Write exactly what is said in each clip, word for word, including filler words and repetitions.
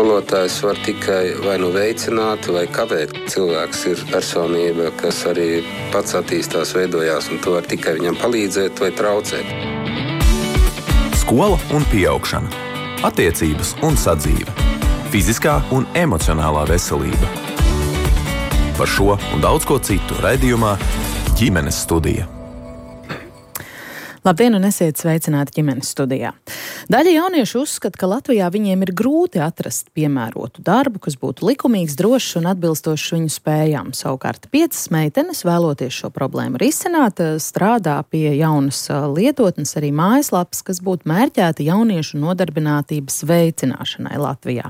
Skolotājs var tikai vai nu veicināt, vai kavēt. Cilvēks ir personība, kas arī pats attīstās, veidojās, un to var tikai viņam palīdzēt vai traucēt. Skola un pieaugšana, attiecības un sadzīve, fiziskā un emocionālā veselība. Par šo un daudz ko citu raidījumā Ģimenes studija. Labdien un esiet sveicināti Ģimenes studijā. Daļa jauniešu uzskata, ka Latvijā viņiem ir grūti atrast piemērotu darbu, kas būtu likumīgs, drošs un atbilstošs viņu spējām. Savukārt piecas meitenes, vēloties šo problēmu risināt, strādā pie jaunas lietotnes, arī mājaslapas, kas būtu mērķēta jauniešu nodarbinātības veicināšanai Latvijā.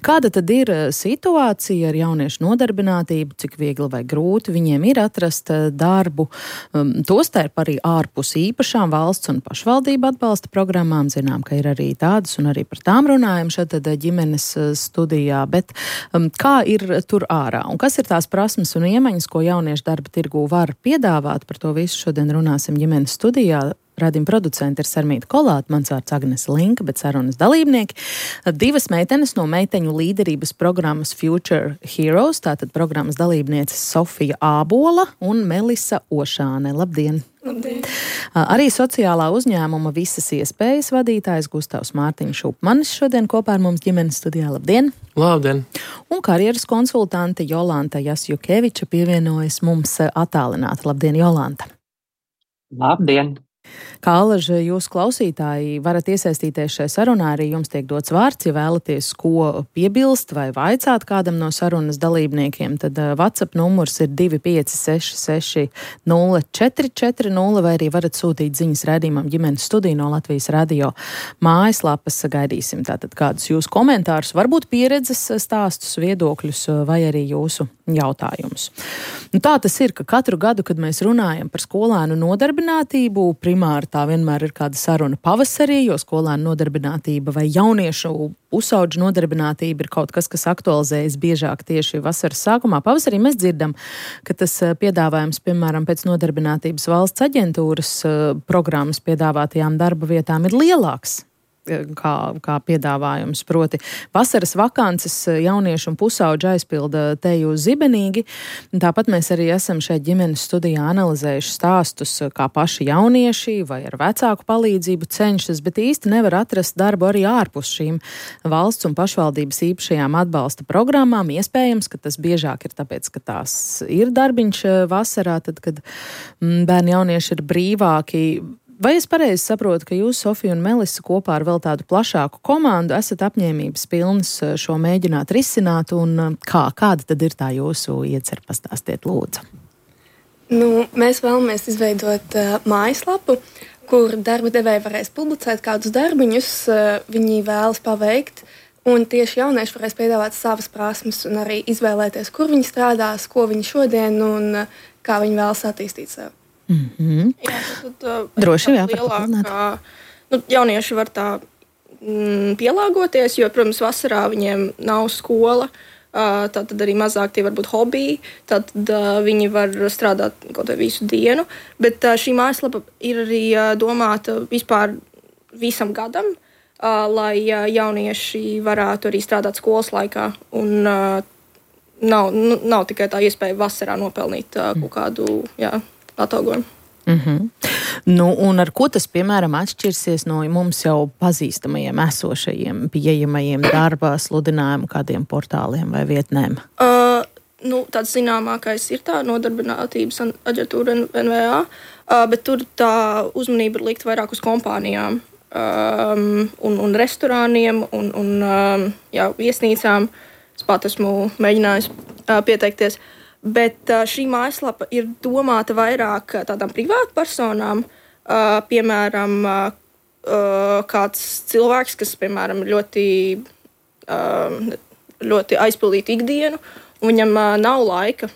Kāda tad ir situācija ar jauniešu nodarbinātību, cik viegli vai grūti viņiem ir atrast darbu, tostarp arī ārpus īpašām valsts un pašvaldību atbalsta programmām. Zinām, ka ir arī tādas un arī par tām runājam šeit Ģimenes studijā, bet um, kā ir tur ārā? Un kas ir tās prasmes un iemaņas, ko jauniešu darba tirgū var piedāvāt? Par to visu šodien runāsim Ģimenes studijā. Radījuma producenti ir Sarmīta Kolāte, mans vārds Agnese Linka, bet sarunas dalībnieki. Divas meitenes no meiteņu līderības programmas Future Heroes, tātad programmas dalībnieces Sofija Ābola un Melisa Ošāne. Labdien! Labdien! Arī sociālā uzņēmuma Visas iespējas vadītājs Gustavs Mārtiņš Upmanis šodien kopā ar mums Ģimenes studijā. Labdien! Labdien! Un karjeras konsultante Jolanta Jasjukeviča pievienojas mums attālināti. Labdien, Jolanta! Labdien! Kā alaži jūs klausītāji varat iesaistīties šajā sarunā, arī jums tiek dots vārds, ja vēlaties ko piebilst vai vaicāt kādam no sarunas dalībniekiem, tad WhatsApp numurs ir divi pieci seši seši nulle četri četri nulle, vai arī varat sūtīt ziņas raidījumam Ģimenes studiju no Latvijas radio mājaslapas. Gaidīsim tātad kādus jūsu komentārus, varbūt pieredzes stāstus, viedokļus vai arī jūsu jautājumus. Nu, tā tas ir, ka katru gadu, kad mēs runājam par skolēnu nodarbinātību, primāri tā vienmēr ir kāda saruna pavasarī, jo skolēnu nodarbinātība vai jauniešu pusauģu nodarbinātība ir kaut kas, kas aktualizējas biežāk tieši vasaras sākumā. Pavasarī mēs dzirdam, ka tas piedāvājums, piemēram, pēc nodarbinātības valsts aģentūras programmas piedāvātajām darba vietām ir lielāks. Kā, kā piedāvājums, proti vasaras vakances jauniešu un pusauģu aizpilda teju zibenīgi. Tāpat mēs arī esam šeit Ģimenes studijā analizējuši stāstus, kā paši jaunieši vai ar vecāku palīdzību cenšas, bet īsti nevar atrast darbu arī ārpus šīm valsts un pašvaldības īpašajām atbalsta programmām. Iespējams, ka tas biežāk ir tāpēc, ka tās ir darbiņš vasarā, tad, kad bērni jaunieši ir brīvāki. Vai es pareizi saprotu, ka jūs, Sofija un Melisa, kopā ar vēl tādu plašāku komandu esat apņēmības pilnas šo mēģināt risināt, un kā, kāda tad ir tā jūsu iecer? Pastāstiet, lūdzu. Nu, mēs vēlamies izveidot uh, mājaslapu, kur darba devēji varēs publicēt kādus darbiņus, uh, viņi vēlas paveikt, un tieši jaunieši varēs piedāvāt savas prasmes un arī izvēlēties, kur viņi strādās, ko viņi šodien un uh, kā viņi vēlas attīstīt sevi. Mm-hmm. Jā, tad, uh, Droši jā, lielākā, nu, jaunieši var tā mm, pielāgoties, jo, protams, vasarā viņiem nav skola, uh, tad arī mazāk tie var būt hobiji, tad uh, viņi var strādāt kaut vai visu dienu, bet uh, šī mājaslapa ir arī uh, domāta vispār visam gadam, uh, lai uh, jaunieši varētu arī strādāt skolas laikā, un uh, nav, nu, nav tikai tā iespēja vasarā nopelnīt uh, kaut kādu, jā, atalgojumu. Mm-hmm. Nu, un ar ko tas, piemēram, atšķirsies no mums jau pazīstamajiem esošajiem, pieejamajiem darba sludinājumu kādiem portāliem vai vietnēm? Uh, nu, tāds zināmākais ir tā nodarbinātības aģentūra N V A, uh, bet tur tā uzmanība ir likt vairāk uz kompānijām um, un, un restorāniem un, un um, jā, viesnīcām. Es pat esmu mēģinājis uh, pieteikties. Bet šī mājaslapa ir domāta vairāk tādām privātpersonām, piemēram, kāds cilvēks, kas, piemēram, ļoti, ļoti aizpildītu ikdienu, un viņam nav laika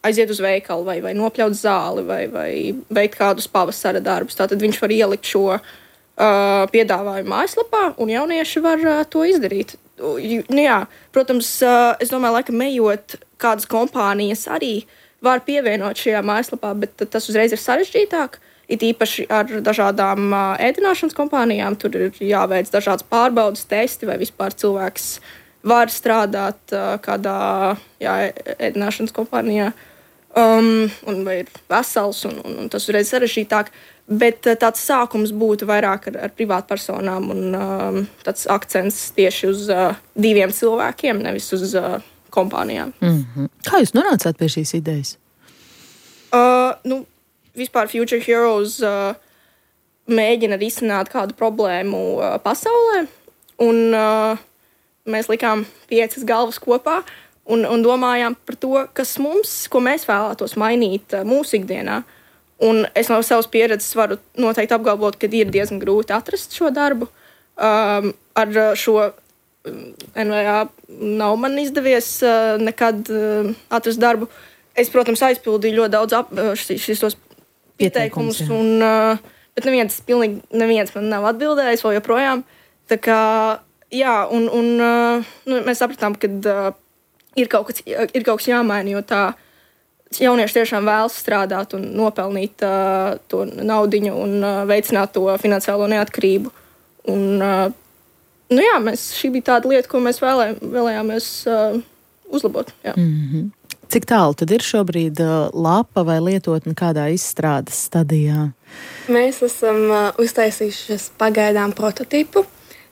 aiziet uz veikalu vai, vai nopļaut zāli vai, vai veikt kādus pavasara darbus. Tātad viņš var ielikt šo piedāvājumu mājaslapā, un jaunieši var to izdarīt. Nu jā, protams, es domāju, laikam ejot, kādas kompānijas arī var pievienot šajā mājaslapā, bet tas uzreiz ir sarežģītāk. It īpaši ar dažādām ēdināšanas kompānijām. Tur ir jāveic dažādas pārbaudas, testi, vai vispār cilvēks var strādāt uh, kādā jā, ēdināšanas kompānijā, um, un vai ir vesels, un, un, un tas uzreiz sarežģītāk. Bet uh, tāds sākums būtu vairāk ar, ar privātpersonām, un um, tāds akcents tieši uz uh, diviem cilvēkiem, nevis uz uh, kompānijām. Mm-hmm. Kā jūs nonācāt pie šīs idejas? Uh, nu, vispār Future Heroes uh, mēģina risināt kādu problēmu uh, pasaulē, un uh, mēs likām piecas galvas kopā un, un domājām par to, kas mums, ko mēs vēlētos mainīt uh, mūsu ikdienā. Un es no savas pieredzes varu noteikti apgalvot, ka ir diezgan grūti atrast šo darbu. Um, ar šo N V A nav man izdevies uh, nekad uh, atrast darbu. Es, protams, aizpildīju ļoti daudz ap, šis tos pieteikumus, un, bet neviens, pilnīgi neviens man nav atbildējis vēl joprojām. Tā kā, jā, un, un nu, mēs sapratām, ka ir kaut kas, ir kaut kas jāmaina, jo tā jaunieši tiešām vēlas strādāt un nopelnīt uh, to naudiņu un uh, veicināt to finansiālo neatkarību. Un, uh, nu jā, mēs, šī bija tāda lieta, ko mēs vēlē, vēlējāmies uh, uzlabot. Jā. Mm-hmm. Cik tālu tad ir šobrīd uh, lapa vai lietotne kādā izstrādes stadijā? Mēs esam uh, uztaisījuši pagaidām prototipu,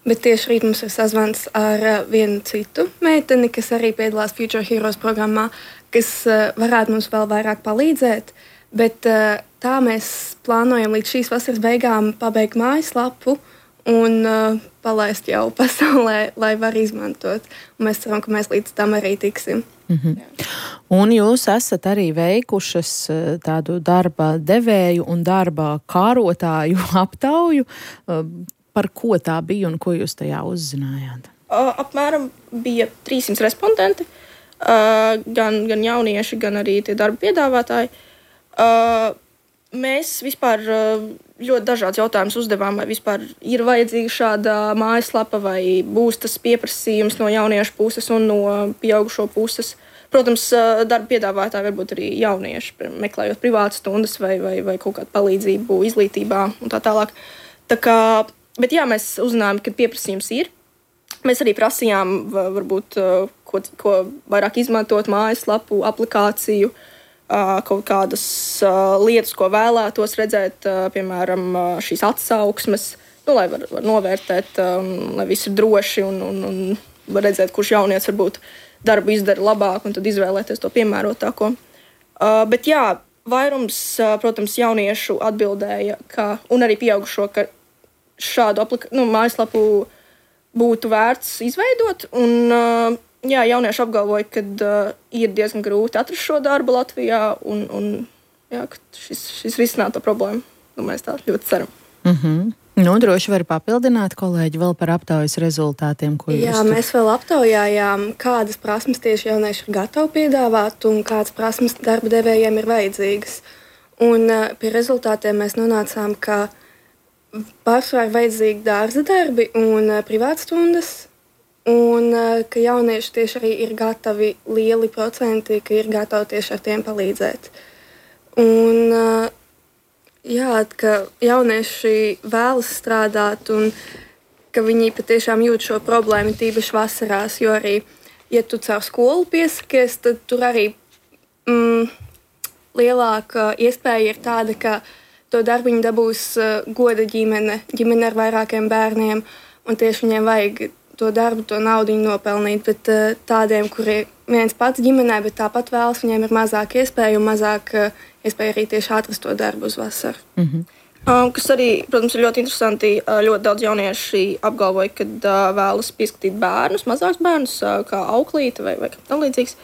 bet tieši rīt mums ir sazvans ar uh, vienu citu meiteni, kas arī piedalās Future Heroes programmā, kas uh, varētu mums vēl vairāk palīdzēt. Bet uh, tā mēs plānojam līdz šīs vasaras beigām pabeigt mājaslapu un uh, palaist jau pasaulē, lai var izmantot. Un mēs ceram, ka mēs līdz tam arī tiksim. Mm-hmm. Un jūs esat arī veikušas tādu darba devēju un darba kārotāju aptauju. Par ko tā bija un ko jūs tajā uzzinājāt? Uh, apmēram bija trīssimt respondenti, uh, gan, gan jaunieši, gan arī tie darba piedāvātāji. Uh, mēs vispār uh, ļoti dažādas jautājumus uzdevām, vai vispār ir vajadzīga šāda mājaslapa, vai būs tas pieprasījums no jauniešu puses un no pieaugušo puses. Protams, darba piedāvātāji var būt arī jaunieši, meklējot privātas stundas vai, vai, vai kaut kādu palīdzību izglītībā un tā tālāk. Tā kā, bet jā, mēs uzzinājām, ka pieprasījums ir. Mēs arī prasījām, varbūt, ko, ko vairāk izmantot mājaslapu, aplikāciju, kaut kādas lietas, ko vēlētos redzēt, piemēram, šīs atsauksmes, nu, lai var, var novērtēt, lai viss ir droši un, un, un var redzēt, kurš jaunietis varbūt darbu izdara labāk un tad izvēlēties to piemērotāko. Uh, bet jā, vairums, uh, protams, jauniešu atbildēja, ka, un arī pieaugušo, ka šādu aplika- nu, mājaslapu būtu vērts izveidot. Un, uh, jā, jaunieši apgalvoja, ka uh, ir diezgan grūti atrast šo darbu Latvijā un, un jā, ka šis, šis risināto problēmu. Nu, mēs tā ļoti ceram. Mm-hmm. Nu, droši var papildināt, kolēģi, vēl par aptaujas rezultātiem, ko jūs... Jā, mēs vēl aptaujājām, kādas prasmes tieši jaunieši ir gatavi piedāvāt un kādas prasmes darba devējiem ir vajadzīgas. Un uh, pie rezultātiem mēs nonācām, ka pārsvarā ir vajadzīgi dārza darbi un uh, privātstundas, un uh, ka jaunieši tieši arī ir gatavi lieli procenti, ka ir gatavi tieši ar tiem palīdzēt. Un... Uh, Jā, ka jaunieši vēlas strādāt un ka viņi patiešām jūt šo problēmu tīpaši vasarās, jo arī, ja tu caur skolu piesakies, tad tur arī mm, lielāka iespēja ir tāda, ka to darbiņu dabūs uh, goda ģimene, ģimene ar vairākiem bērniem, un tieši viņiem vajag to darbu, to naudiņu nopelnīt, bet uh, tādiem, kuri viens pats ģimenē, bet tāpat vēlas, viņiem ir mazāk iespēja un mazāk uh, iespēja arī tieši atrast to darbu uz vasaru. Mm-hmm. Um, kas arī, protams, ir ļoti interesanti. Uh, ļoti daudz jaunieši apgalvoja, ka uh, vēlas pieskatīt bērnus, mazāks bērnus, uh, kā auklīte vai, vai kā tam līdzīgs.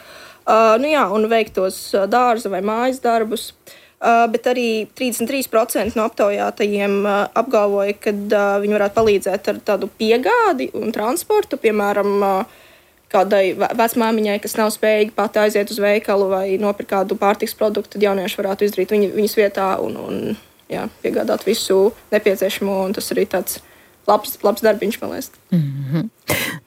Uh, nu jā, un veikt tos uh, dārza vai mājas darbus. Uh, bet arī trīsdesmit trīs procenti no aptaujātajiem uh, apgalvoja, ka uh, viņi varētu palīdzēt ar tādu piegādi un transportu, piemēram, uh, kādai vecmāmiņai, kas nav spējīga pati aiziet uz veikalu vai nopirkt kādu pārtiks produktu, tad jaunieši varētu izdarīt viņu, viņas vietā un, un jā, piegādāt visu nepieciešamo. Un tas arī tāds labs, labs darbiņš, man liekas. Mm-hmm.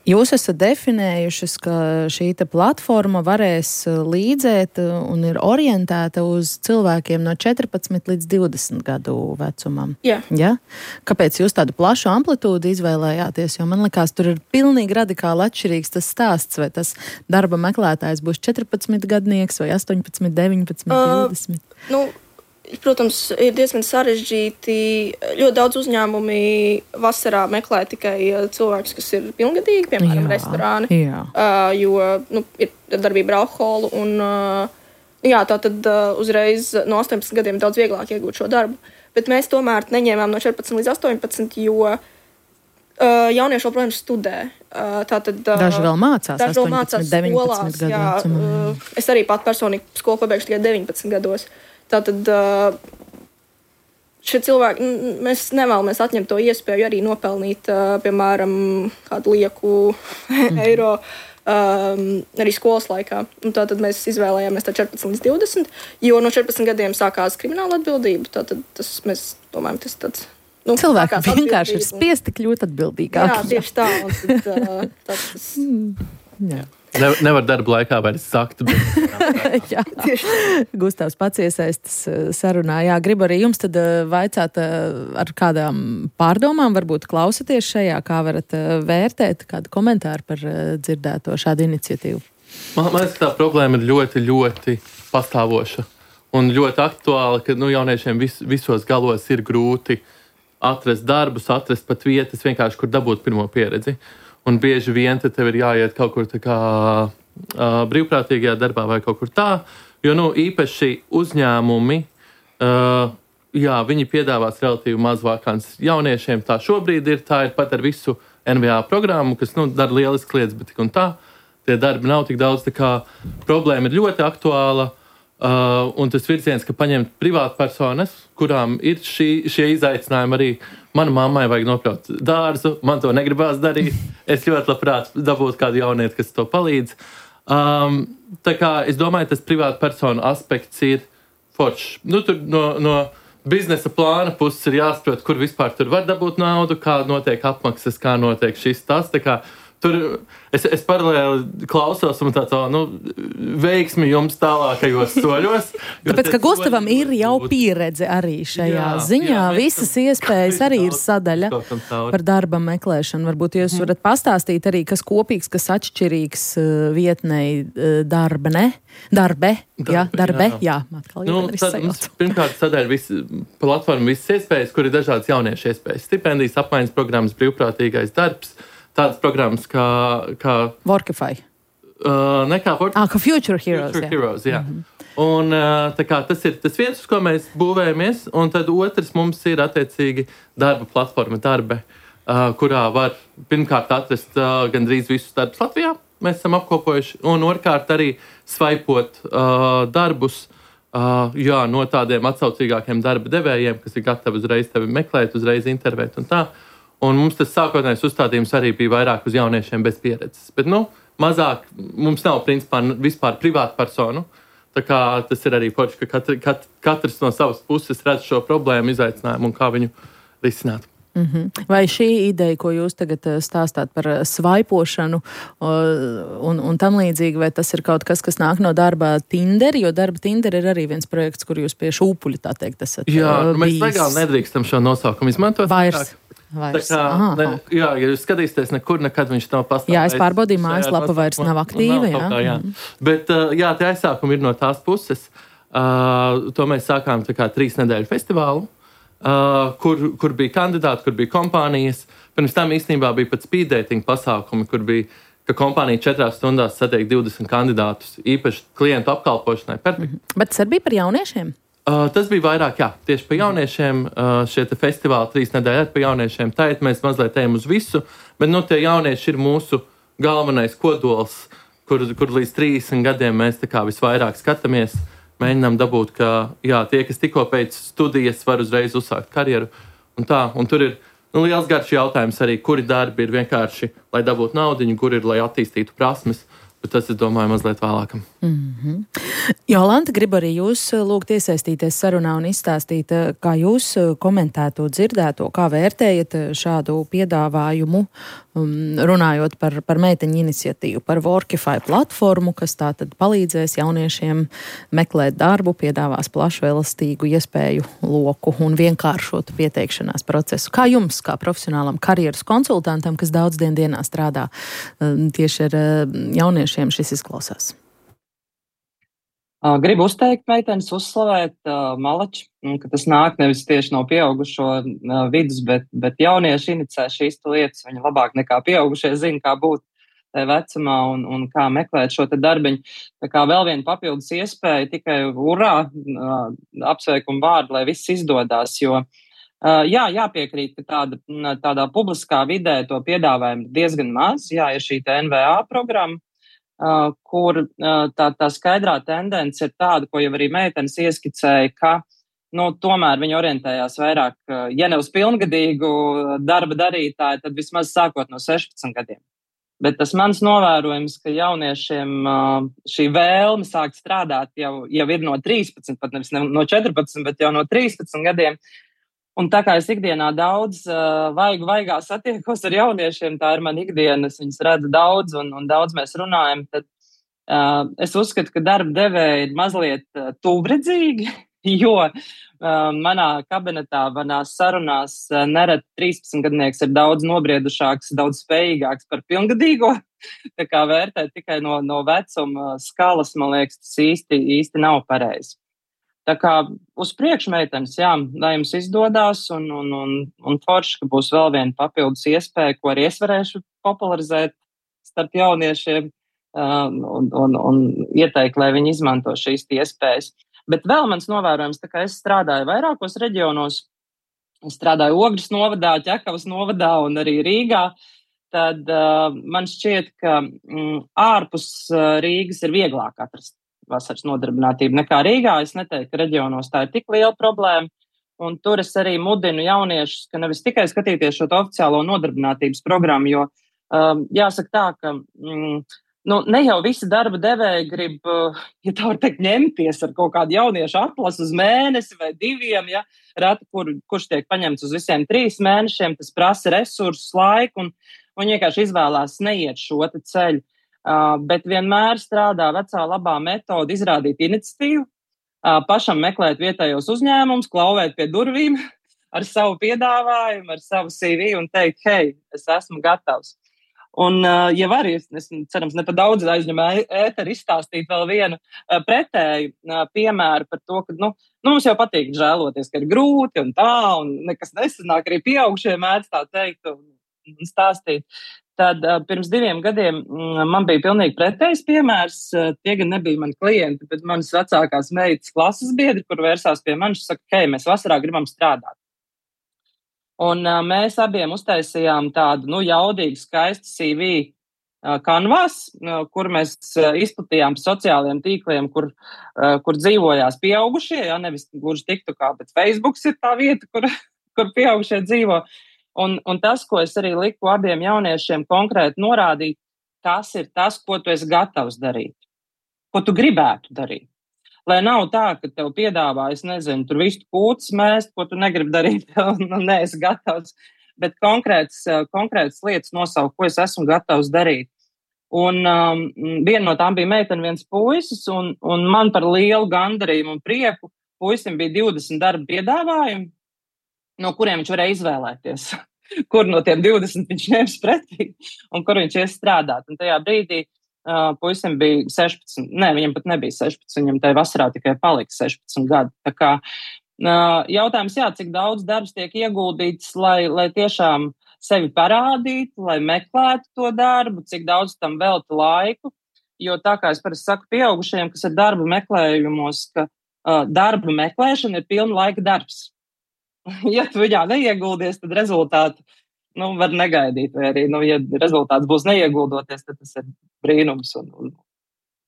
Jūs esat definējušas, ka šī platforma varēs līdzēt un ir orientēta uz cilvēkiem no četrpadsmit līdz divdesmit gadu vecumam. Jā. Ja? Kāpēc jūs tādu plašu amplitūdu izvēlējāties? Jo man likās, tur ir pilnīgi radikāli atšķirīgs tas stāsts, vai tas darba meklētājs būs četrpadsmit gadnieks vai astoņpadsmit, deviņpadsmit, divdesmit. Uh, nu, Protams, ir diezgan sarežģīti. Ļoti daudz uzņēmumi vasarā meklē tikai cilvēkus, kas ir pilngadīgi, piemēram, jā, restorāni. Jā. Uh, jo nu, ir darbība ar alkoholu. Un, uh, jā, tā tad uh, uzreiz no astoņpadsmit gadiem daudz vieglāk iegūt šo darbu. Bet mēs tomēr neņēmām no četrpadsmit līdz astoņpadsmit, jo uh, jaunieši joprojām studē. Uh, tātad, uh, daži vēl mācās, daži vēl mācās deviņpadsmit gadu vecumā. Uh, es arī pat personīgi skolu pabeigšu tikai deviņpadsmit gados. Tātad šie cilvēki, mēs nevēlamies atņemt to iespēju arī nopelnīt, piemēram, kādu lieku mm. eiro um, arī skolas laikā. Un tātad mēs izvēlējāmies tā četrpadsmit līdz divdesmit, jo no četrpadsmit gadiem sākās krimināla atbildība. Tātad tas mēs domājam, tas tāds. Nu, cilvēki vienkārši ir spiesti kļūt atbildīgāki. Jā, tieši tā. Un tad, uh, tas, tas, jā. Ne, nevar darba laikā vairs sakt. Bet... jā, Gustavs pats iesaistas sarunā. Jā, gribu arī jums tad vaicāt ar kādām pārdomām, varbūt klausaties šajā, kā varat vērtēt, kādu komentāru par dzirdēto šādu iniciatīvu. Man, man liekas, tā problēma ir ļoti, ļoti pastāvoša un ļoti aktuāla, ka nu, jauniešiem vis, visos galos ir grūti atrast darbus, atrast pat vietas, vienkārši kur dabūt pirmo pieredzi. Un bieži vien te tev ir jāiet kaut kur tā kā uh, brīvprātīgajā darbā vai kaut kur tā, jo nu, īpaši uzņēmumi, uh, jā, viņi piedāvās relatīvi maz vakants jauniešiem. Tā šobrīd ir, tā ir pat ar visu N V A programmu, kas nu, dara lielisks lietas, bet tik un tā. Tie darbi nav tik daudz, tā kā problēma ir ļoti aktuāla. Uh, un tas virziens, ka paņemt privātpersonas, kurām ir šī, šie izaicinājumi arī. Mana mammai vajag nopļaut dārzu, man to negribās darīt. Es ļoti labprāt dabūtu kādu jaunieti, kas to palīdz. Um, tā kā es domāju, tas privātpersonu aspekts ir foršs. Nu, tur no, no biznesa plāna puses ir jāsaprot, kur vispār tur var dabūt naudu, kā notiek apmaksas, kā notiek šis tas. Tā kā tur es, es paralēli klausos un tāds, nu, veiksmi jums tālākajos soļos. Tāpēc, ka Gustavam ir jau pieredze arī šajā jā, ziņā. Jā, visas iespējas arī ir sadaļa par darba meklēšanu. Varbūt jūs varat pastāstīt arī, kas kopīgs, kas atšķirīgs vietnei darba, ne? Darbe, darbe jā, darbe, jā. jā atkal nu, tad, mums, pirmkārt, sadaļa visi, platforma visas iespējas, kur ir dažādas jauniešu iespējas. Stipendijas, apmaiņas programmas, brīvprātīgais darbs. Tādas programmas kā... kā Workify. Uh, ne kā Workify. Ah, kā Future Heroes. Future jā. Heroes, jā. Mm-hmm. Un uh, tā kā tas ir tas viens, uz ko mēs būvējamies, un tad otrs mums ir attiecīgi darba platforma Darbe, uh, kurā var pirmkārt atrast uh, gandrīz visus darbus Latvijā. Mēs esam apkopojuši, un otrkārt arī svaipot uh, darbus uh, jā, no tādiem atsaucīgākiem darba devējiem, kas ir gatavi uzreiz tevi meklēt, uzreiz intervēt un tā. Un mums tas sākotnējais uzstādījums arī bija vairāk uz jauniešiem bez pieredzes. Bet, nu, mazāk mums nav, principā, vispār privātu personu. Tā kā tas ir arī forši, ka katri, kat, katrs no savas puses redz šo problēmu, izaicinājumu un kā viņu risināt. Mm-hmm. Vai šī ideja, ko jūs tagad stāstāt par svaipošanu un, un tam līdzīgi, vai tas ir kaut kas, kas nāk no darba Tinder, jo darba Tinder ir arī viens projekts, kur jūs pie šūpuļa, tā teikt, esat jā, bijis. Mēs legāli nedrīkstam šo nosaukumu izmantot. Vairs. Vairs. Tā kā, ne, jā, ja jūs skatīsieties, nekur nekad viņš nav pastāvējis. Jā, es pārbaudīju, mājaslapa vairs nav aktīva. Jā. Kā, jā. Mm. Bet, jā, tie aizsākumi ir no tās puses. Uh, to mēs sākām tā kā trīs nedēļu festivālu, uh, kur, kur bija kandidāti, kur bija kompānijas. Pirms tam īstenībā bija pat speed dating pasākumi, kur bija, ka kompānija četrās stundās satiek divdesmit kandidātus, īpaši klientu apkalpošanai. Perfekt. Mm. Bet tas arī bija par jauniešiem? Uh, tas bija vairāk, jā, tieši par jauniešiem. Uh, šie festivāli trīs nedēļas par jauniešiem. Tagad mēs mazliet ejam uz visu, bet nu, tie jaunieši ir mūsu galvenais kodols, kur, kur līdz trīsdesmit gadiem mēs tā kā visvairāk skatāmies. Mēģinām dabūt, ka jā, tie, kas tikko pēc studijas var uzreiz uzsākt karjeru. Un tā, un tur ir nu, liels garš jautājums arī, kuri darbi ir vienkārši, lai dabūtu naudiņu, kur ir, lai attīstītu prasmes. Bet tas, es domāju, mazliet vēlākam. Mm-hmm. Jolanta, gribu arī jūs lūgt iesaistīties sarunā un izstāstīt, kā jūs komentētu dzirdēto, kā vērtējat šādu piedāvājumu, runājot par, par meiteņu iniciatīvu, par Workify platformu, kas tātad palīdzēs jauniešiem meklēt darbu, piedāvās plašu elastīgu iespēju loku un vienkāršotu pieteikšanās procesu. Kā jums, kā profesionālam karjeras konsultantam, kas daudz dien dienā strādā tieši ar jauniešiem, šis izklausās? Gribu uzteikt meitenes, uzslavēt uh, Malači, ka tas nāk nevis tieši no pieaugušo uh, vidus, bet, bet jaunieši inicē šīs lietas. Viņi labāk nekā pieaugušie zina, kā būt tajā vecumā un, un kā meklēt šo te darbiņu. Tā kā vēl viena papildus iespēja, tikai urā, uh, apsveikumu vārdu, lai viss izdodās, jo uh, jā, jāpiekrīt, ka tāda, tādā publiskā vidē to piedāvājumu diezgan maz. Jā, ir šī N V A programma, Uh, kur uh, tā, tā skaidrā tendence ir tāda, ko jau arī meitenes ieskicēja, ka, nu, tomēr viņi orientējās vairāk, uh, ja ne uz pilngadīgu darba darītāju, tad vismaz sākot no sešpadsmit gadiem. Bet tas mans novērojums, ka jauniešiem uh, šī vēlme sākt strādāt jau, jau ir no trīspadsmit, pat nevis no četrpadsmit, bet jau no trīspadsmit gadiem. Un tā kā es ikdienā daudz uh, vaigu vaigā satiekos ar jauniešiem, tā ir man ikdiena, es viņus redzu daudz un, un daudz mēs runājam, tad uh, es uzskatu, ka darba devēji ir mazliet uh, tūvredzīgi, jo uh, manā kabinetā, manās sarunās uh, nerad trīspadsmitgadnieks ir daudz nobriedušāks, daudz spējīgāks par pilngadīgo, tā kā vērtēt tikai no, no vecuma skalas, man liekas, tas īsti, īsti nav pareizi. Tā kā uz priekšu meitenes, jā, lai jums izdodās un, un, un, un forši, ka būs vēl viena papildus iespēja, ko arī es varēšu popularizēt starp jauniešiem uh, un, un, un ieteikt, lai viņi izmanto šīs iespējas. Bet vēl mans novērojums, tā kā es strādāju vairākos reģionos, es strādāju Ogres novadā, Ķekavas novadā un arī Rīgā, tad uh, man šķiet, ka mm, ārpus uh, Rīgas ir vieglāk atrast vasaras nodarbinātību nekā Rīgā. Es neteiktu, ka reģionos tā ir tik liela problēma, un tur es arī mudinu jauniešus, ka nevis tikai skatīties šo oficiālo nodarbinātības programmu, jo um, jāsaka tā, ka mm, nu, ne jau visi darba devēji grib, uh, ja tā var teikt, ņemties ar kaut kādu jauniešu atlasu uz mēnesi vai diviem, ja, reti, kur, kurš tiek paņemts uz visiem trīs mēnešiem, tas prasa resursus, laiku, un, un vienkārši izvēlās neiet šo te ceļu. Uh, bet vienmēr strādā vecā labā metode izrādīt iniciatīvu, uh, pašam meklēt vietējos uzņēmumus, klauvēt pie durvīm ar savu piedāvājumu, ar savu C V un teikt, hei, es esmu gatavs. Un, uh, ja var, es, es cerams, ne pa daudz aizņem ēteru izstāstīt vēl vienu uh, pretēju uh, piemēru par to, ka, nu, nu, mums jau patīk žēloties, ka ir grūti un tā, un nekas nesanāk, arī pieaugušie mēdz tā teikt un, un stāstīt. Tad uh, pirms diviem gadiem mm, man bija pilnīgi pretējs piemērs. Uh, tie gan nebija mani klienti, bet manas vecākās meitas klases biedri, kur vērsās pie manis, saka, hei, mēs vasarā gribam strādāt. Un uh, mēs abiem uztaisījām tādu, nu, jaudīgu, skaistu C V uh, kanvas, uh, kur mēs uh, izplatījām pa sociālajiem tīkliem, kur, uh, kur dzīvojās pieaugušie, ja, nevis gluži TikTokā, bet Facebooks ir tā vieta, kur, kur pieaugušie dzīvo. Un, un tas, ko es arī liku abiem jauniešiem konkrēti norādīt, tas ir tas, ko tu esi gatavs darīt, ko tu gribētu darīt. Lai nav tā, ka tev piedāvā, es nezinu, tur visu kūtas mēst, ko tu negribi darīt, un neesi gatavs, bet konkrētas, konkrētas lietas nosaukt, ko es esmu gatavs darīt. Un um, viena no tām bija meitene, viens puisis, un, un man par lielu gandarījumu un prieku puisim bija divdesmit darba piedāvājumi, no kuriem viņš varēja izvēlēties, kur no tiem divdesmit viņš ņems pretī un kur viņš ies strādāt. Un tajā brīdī uh, puisim bija sešpadsmit, ne, viņam pat nebija sešpadsmit, viņam tajā vasarā tikai palika sešpadsmit gadi. Tā kā uh, jautājums, jā, cik daudz darbs tiek ieguldīts, lai, lai tiešām sevi parādītu, lai meklētu to darbu, cik daudz tam velta laiku, jo tā kā es parasti saku pieaugušajiem, kas ir darba meklējumos, ka uh, darba meklēšana ir pilna laika darbs. Ja tu viņā neieguldies, tad rezultātu nu, var negaidīt. Vai arī, nu, ja rezultāts būs neieguldoties, tad tas ir brīnums un, un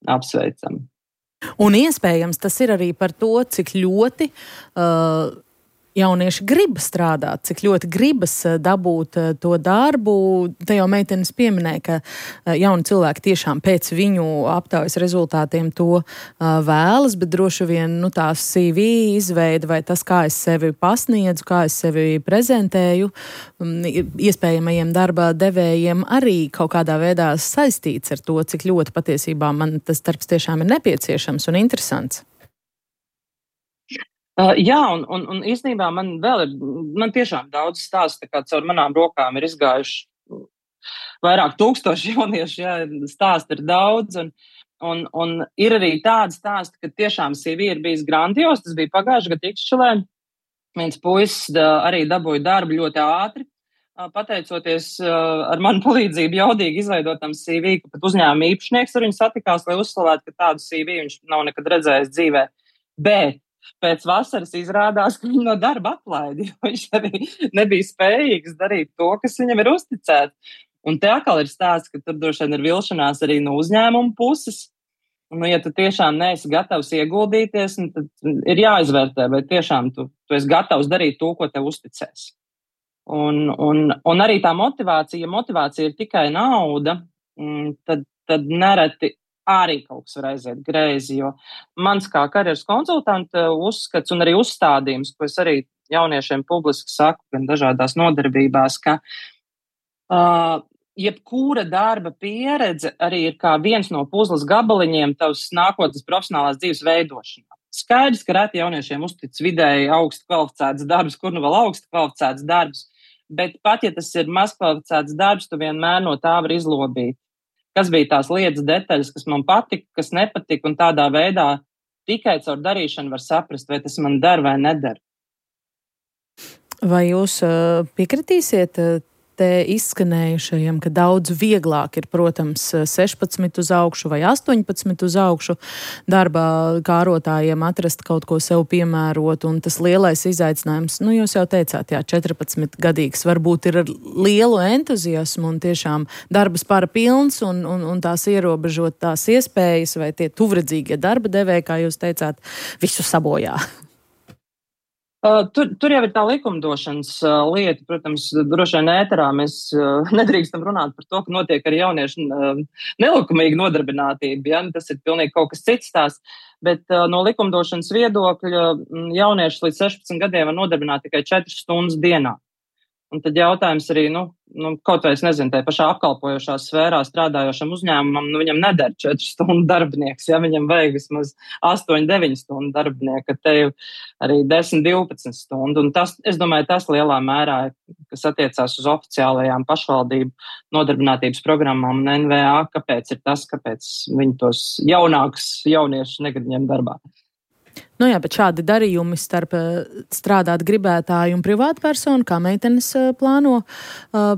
apsveicami. Un iespējams tas ir arī par to, cik ļoti uh, jaunieši grib strādāt, cik ļoti gribas dabūt to darbu. Te jau meitenes pieminēja, ka jauni cilvēki tiešām pēc viņu aptaujas rezultātiem to vēlas, bet droši vien nu, tā C V izveida vai tas, kā es sevi pasniedzu, kā es sevi prezentēju, iespējamajiem darba devējiem arī kaut kādā veidā saistīts ar to, cik ļoti patiesībā man tas darbs tiešām ir nepieciešams un interesants. Uh, jā, un, un, un īstenībā man vēl ir, man tiešām daudz stāstu, tā kā caur manām rokām ir izgājuši vairāk tūkstoši jaunieši, jā, stāsti ir daudz, un, un, un ir arī tādi stāsti, ka tiešām C V ir bijis grandios, tas bija pagājuši gadu Ikšķilē, viens puisis arī dabūja darbu ļoti ātri, pateicoties ar manu palīdzību jaudīgi izveidotam C V, ka pat uzņēmuma īpašnieks ar viņu satikās, lai uzslavētu, ka tādu C V viņš nav nekad redzējis dzīvē, bet pēc vasaras izrādās, ka viņu no darba atlaidi, jo viņš arī nebija spējīgs darīt to, kas viņam ir uzticēts. Un te atkal ir stāsts, ka tur droši vien ir vilšanās arī no uzņēmuma puses. Nu, ja tu tiešām neesi gatavs ieguldīties, tad ir jāizvērtē, vai tiešām tu, tu esi gatavs darīt to, ko tev uzticēs. Un, un, un arī tā motivācija, ja motivācija ir tikai nauda, tad, tad nereti arī kaut kas var aiziet greizi, jo mans kā karjeras konsultanta uzskats un arī uzstādījums, ko es arī jauniešiem publiski saku, gan dažādās nodarbībās, ka uh, jebkura darba pieredze arī ir kā viens no puzles gabaliņiem tavas nākotnes profesionālās dzīves veidošanā. Skaidrs, ka reti jauniešiem uztic vidēji augstu kvalificēts darbs, kur nu vēl augstu kvalificēts darbs, bet pat ja tas ir maz kvalificēts darbs, tu vienmēr no tā var izlobīt. Kas bija tās lietas detaļas, kas man patika, kas nepatika, un tādā veidā tikai caur darīšanu var saprast, vai tas man der vai neder. Vai jūs uh, piekritīsiet uh, te izskanējušajam, ka daudz vieglāk ir, protams, sešpadsmit uz augšu vai astoņpadsmit uz augšu darbā kārotājiem atrast kaut ko sev piemērot, un tas lielais izaicinājums, nu jūs jau teicāt, jā, četrpadsmitgadīgs varbūt ir ar lielu entuziasmu un tiešām darba spara pilns un, un, un tās ierobežot tās iespējas vai tie tuvredzīgie darba devēji, kā jūs teicāt, visu sabojā. Uh, tur, tur jau ir tā likumdošanas uh, lieta, protams, droši vien ēterā mēs uh, nedrīkstam runāt par to, ka notiek ar jauniešu uh, nelikumīga nodarbinātība, ja? Tas ir pilnīgi kaut kas cits tās, bet uh, no likumdošanas viedokļa jaunieši līdz sešpadsmit gadiem var nodarbināt tikai četras stundas dienā. Un tad jautājums arī, nu, nu kaut vai es nezinu, tai pašā apkalpojošā sfērā strādājošam uzņēmumam, nu viņam neder četru stundu darbinieks, ja viņam vajag vismaz astoņu, deviņu stundu darbinieka, te jau arī desmit, divpadsmit stundu. Un tas, es domāju, tas lielā mērā, kas attiecās uz oficiālajām pašvaldību nodarbinātības programmām un N V A, kāpēc ir tas, kāpēc viņi tos jaunākus jauniešus negrib ņemt darbā. Nu jā, bet šādi darījumi starp strādāt gribētāju un privātpersonu, kā meitenes plāno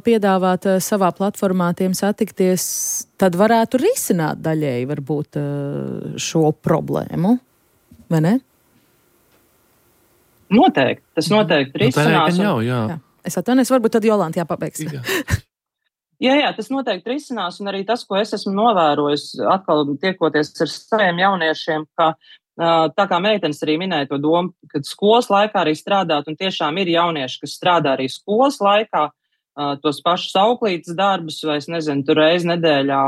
piedāvāt savā platformā tiem satikties, tad varētu risināt daļēji varbūt šo problēmu, vai ne? Noteikti, tas noteikti risinās. Nu, jau, jā. Jā. Es atvainojos, varbūt tad Jolanta jāpabeigs. Jā. Jā, jā, tas noteikti risinās, un arī tas, ko es esmu novērojis, atkal tiekoties ar saviem jauniešiem, ka tā kā meitenes arī minēja to domu, kad skolas laikā arī strādāt, un tiešām ir jaunieši, kas strādā arī skolas laikā, tos pašus auklītes darbus, vai es nezinu, tur reiz nedēļā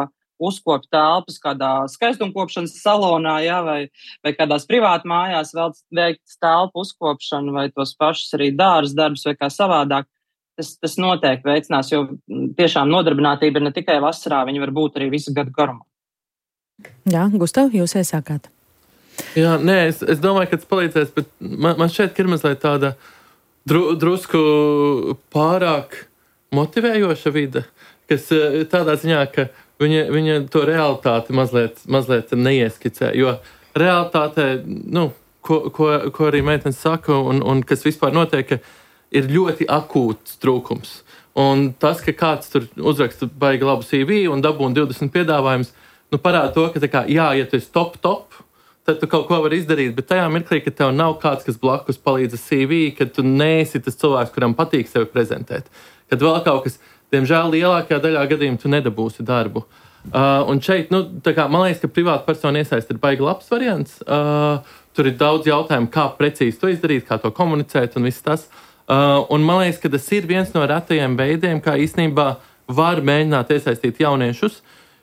uzkopt telpas kādā skaistumkopšanas salonā, jā, vai, vai kādās privātu mājās vēl veikt telpu uzkopšanu, vai tos pašus arī dārza darbus, vai kā savādāk. Tas, tas noteikti veicinās, jo tiešām nodarbinātība ir ne tikai vasarā, viņa var būt arī visu gadu garumā. Jā, Gustav, jūs iesākāt. Jā, nē, es, es domāju, ka tas palīdzēs, bet man, man šķiet, ka ir mazliet tāda dru, drusku pārāk motivējoša vide, kas tādā ziņā, ka viņa, viņa to realitāti mazliet, mazliet neieskicē, jo realitātē, nu, ko, ko, ko arī meitenes saka un, un kas vispār notiek, ka ir ļoti akūts trūkums. Un tas, ka kāds tur uzraksta baigi labu C V un dabūna divdesmit piedāvājumus, nu parāda to, ka tā kā, jā, ja tu esi top, top, tad tu kaut ko vari izdarīt, bet tajā mirklī, ka tev nav kāds, kas blakus palīdz ar C V, kad tu neesi tas cilvēks, kuram patīk sevi prezentēt. Kad vēl kaut kas, diemžēl, lielākajā daļā gadījumā tu nedabūsi darbu. Uh, un šeit, nu, tā kā, man liekas, ka privāta persona iesaist ir baigi labs variants. Uh, tur ir daudz jautājumu, kā precīzi to izdarīt, kā to komunicēt un viss tas. Uh, un man liekas, ka tas ir viens no retajiem veidiem, kā īstenībā var mēģināt iesaistīt jauniešus,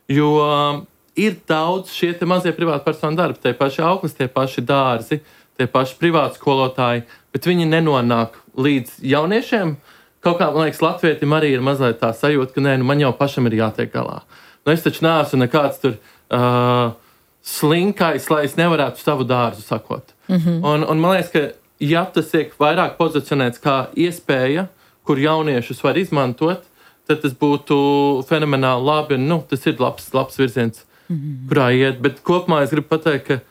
jo uh, ir daudz šie te mazie privātpersonu darbi, tie paši auklis, tie paši dārzi, tie paši privātskolotāji, bet viņi nenonāk līdz jauniešiem. Kaut kā, man liekas, latvietim arī ir mazliet tā sajūta, ka nē, nu man jau pašam ir jātiek galā. Nu es taču neesmu nekāds tur uh, slinkais, lai es nevarētu savu dārzu sakot. Mm-hmm. Un, un man liekas, ka ja tas tiek vairāk pozicionēts kā iespēja, kur jauniešus var izmantot, tad tas būtu fenomenāli labi. Un, nu, tas ir labs, labs virziens, mm-hmm. kurā iet. Bet kopumā es gribu pateikt, ka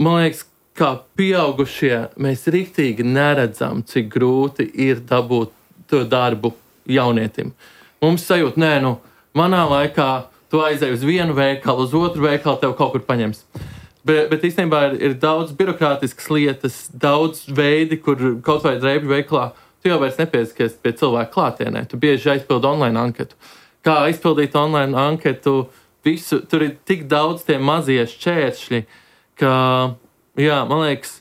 man liekas, kā pieaugušie, mēs riktīgi neredzam, cik grūti ir dabūt to darbu jaunietim. Mums sajūt, nē, nu, manā laikā tu aizēji uz vienu veikalu, uz otru veikalu, tev kaut kur paņems. Bet, bet īstenībā ir, ir daudz birokrātiskas lietas, daudz veidi, kur kaut vai drēbju veikalā tu jau vairs nepieskaties pie cilvēku klātienē. Tu bieži aizpildi online anketu. Kā aizpildīt online anketu, visu, tur ir tik daudz tie mazie šķēršļi, ka, jā, man liekas,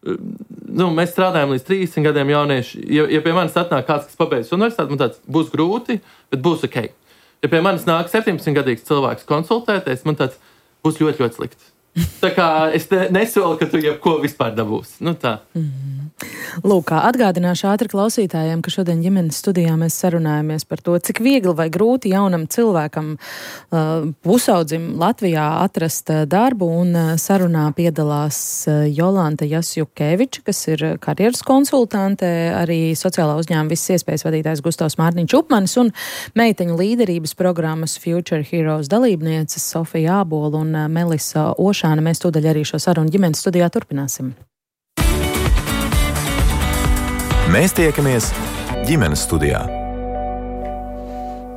nu, mēs strādājam līdz trīsdesmit gadiem jaunieši. Ja, ja pie manis atnāk kāds, kas pabeidz universitāti, man tāds būs grūti, bet būs ok. Ja pie manis nāk septiņdesmitgadīgs cilvēks konsultēties, man tāds būs ļoti, ļoti slikti. Tā kā es ne, nesolu, ka tu jebko vispār dabūsi. Nu tā. Mm-hmm. Lūk, atgādināšu ātri klausītājiem, ka šodien ģimenes studijā mēs sarunājamies par to, cik viegli vai grūti jaunam cilvēkam uh, pusaudzim Latvijā atrast uh, darbu, un uh, sarunā piedalās uh, Jolanta Jasjukeviča, kas ir karjeras konsultante, arī sociālā uzņēmuma visas iespējas vadītājs Gustavs Mārtiņš Upmanis un meiteņu līderības programmas Future Heroes dalībnieces Sofija Ābola un uh, Melisa Ošāna. Mēs tūdaļ arī šo sarunu ģimenes studijā turpināsim. Mēs tiekamies ģimenes studijā.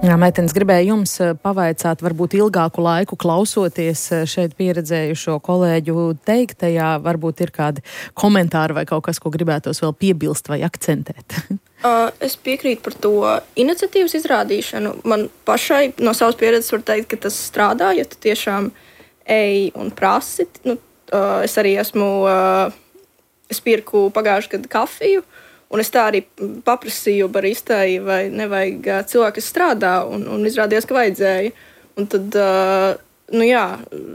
Jā, meitenes, gribēju jums pavaicāt, varbūt ilgāku laiku klausoties šeit pieredzējušo kolēģu teiktajā, varbūt ir kādi komentāri vai kaut kas, ko gribētos vēl piebilst vai akcentēt. Uh, es piekrītu par to iniciatīvas izrādīšanu. Man pašai no savas pieredzes var teikt, ka tas strādā, ja tu tiešām ej un prasi. Nu, uh, es arī esmu, uh, es pirku pagājušajā gadu kafiju, un es tā arī paprasīju baristai, vai nevajag cilvēku, kas strādā, un, un izrādījās, ka vajadzēja. Un tad, uh, nu jā,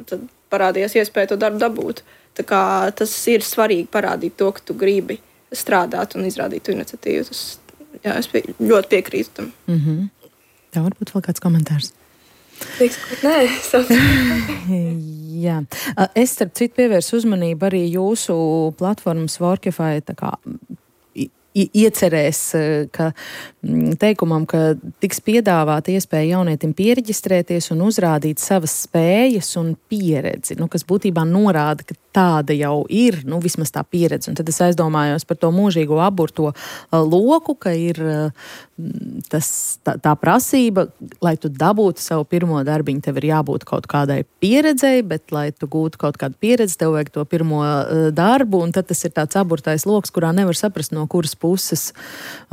tad parādījās iespēja to darbu dabūt. Tā kā tas ir svarīgi parādīt to, ka tu gribi strādāt un izrādīt tu iniciatīvu. Tas, jā, es pie, ļoti piekrītu tam. Mm-hmm. Tā varbūt vēl kāds komentārs. Liekas, ka nē, jā. Es, starp citu, pievērsu uzmanību arī jūsu platformas Workify tā kā iecerēs, ka teikumam, ka tiks piedāvāta iespēja jaunietim piereģistrēties un uzrādīt savas spējas un pieredzi, nu, kas būtībā norāda, ka tāda jau ir, nu, vismaz tā pieredze. Un tad es aizdomājos par to mūžīgo aburto loku, ka ir tas, tā, tā prasība, lai tu dabūtu savu pirmo darbiņu, tev ir jābūt kaut kādai pieredzei, bet, lai tu gūtu kaut kādu pieredzi, tev vajag to pirmo darbu, un tad tas ir tāds aburtais loks, kurā nevar saprast, no kuras puses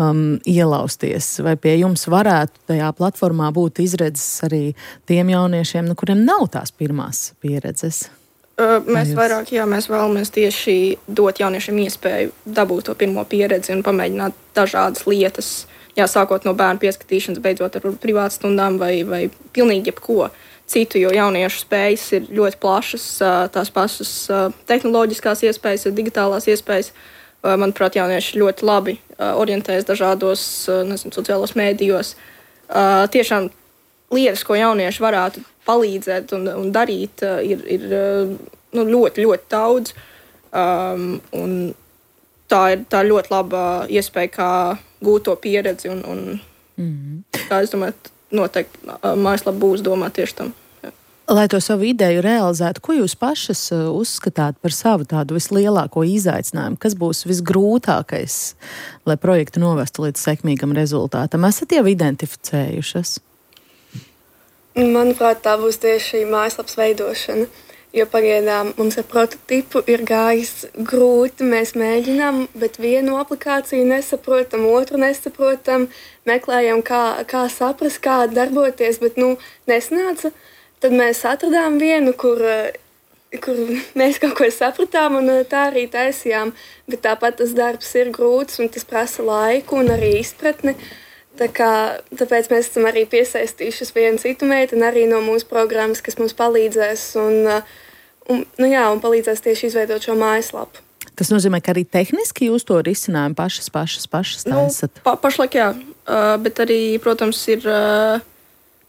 um, ielausties. Vai pie jums varētu tajā platformā būt izredzes arī tiem jauniešiem, nu, kuriem nav tās pirmās pieredzes? Uh, mēs vairāk, jā, mēs vēlamies tieši dot jauniešiem iespēju dabūt to pirmo pieredzi un pamēģināt dažādas lietas, jā, sākot no bērnu pieskatīšanas, beidzot ar privātstundām vai, vai pilnīgi jebko citu, jo jauniešu spējas ir ļoti plašas, tās pašas tehnoloģiskās iespējas, digitālās iespējas. Manuprāt, jaunieši ļoti labi orientējas dažādos, nezinu, sociālos mēdījos. Tiešām lietas, ko jaunieši varētu palīdzēt un, un darīt, ir, ir nu, ļoti, ļoti daudz. Um, un tā ir tā ļoti laba iespēja, kā gūt to pieredzi. Un, un, mm-hmm. kā es domāju, noteikti mājaslapa būs domā tieši tam. Jā. Lai to savu ideju realizētu, ko jūs pašas uzskatāt par savu tādu vislielāko izaicinājumu? Kas būs visgrūtākais, lai projektu novestu līdz sekmīgam rezultātam? Esat jau identificējušas? Manuprāt, tā būs tieši šī mājaslapas veidošana, jo pagaidām mums ar prototipu ir gājis grūti, mēs mēģinām, bet vienu aplikāciju nesaprotam, otru nesaprotam, meklējam, kā, kā saprast, kā darboties, bet, nu, nesnāca. Tad mēs atradām vienu, kur kur mēs kaut ko sapratām un tā arī taisījām, bet tāpat tas darbs ir grūts un tas prasa laiku un arī izpratni. Tā kā, tāpēc mēs esam arī piesaistījušas vienu citu meiteni arī no mūsu programmas, kas mums palīdzēs un, un, nu jā, un palīdzēs tieši izveidot šo mājaslapu. Tas nozīmē, ka arī tehniski jūs to risinājumu pašas, pašas, pašas taisat? Nu, pa, pašlaik jā, uh, bet arī, protams, ir uh,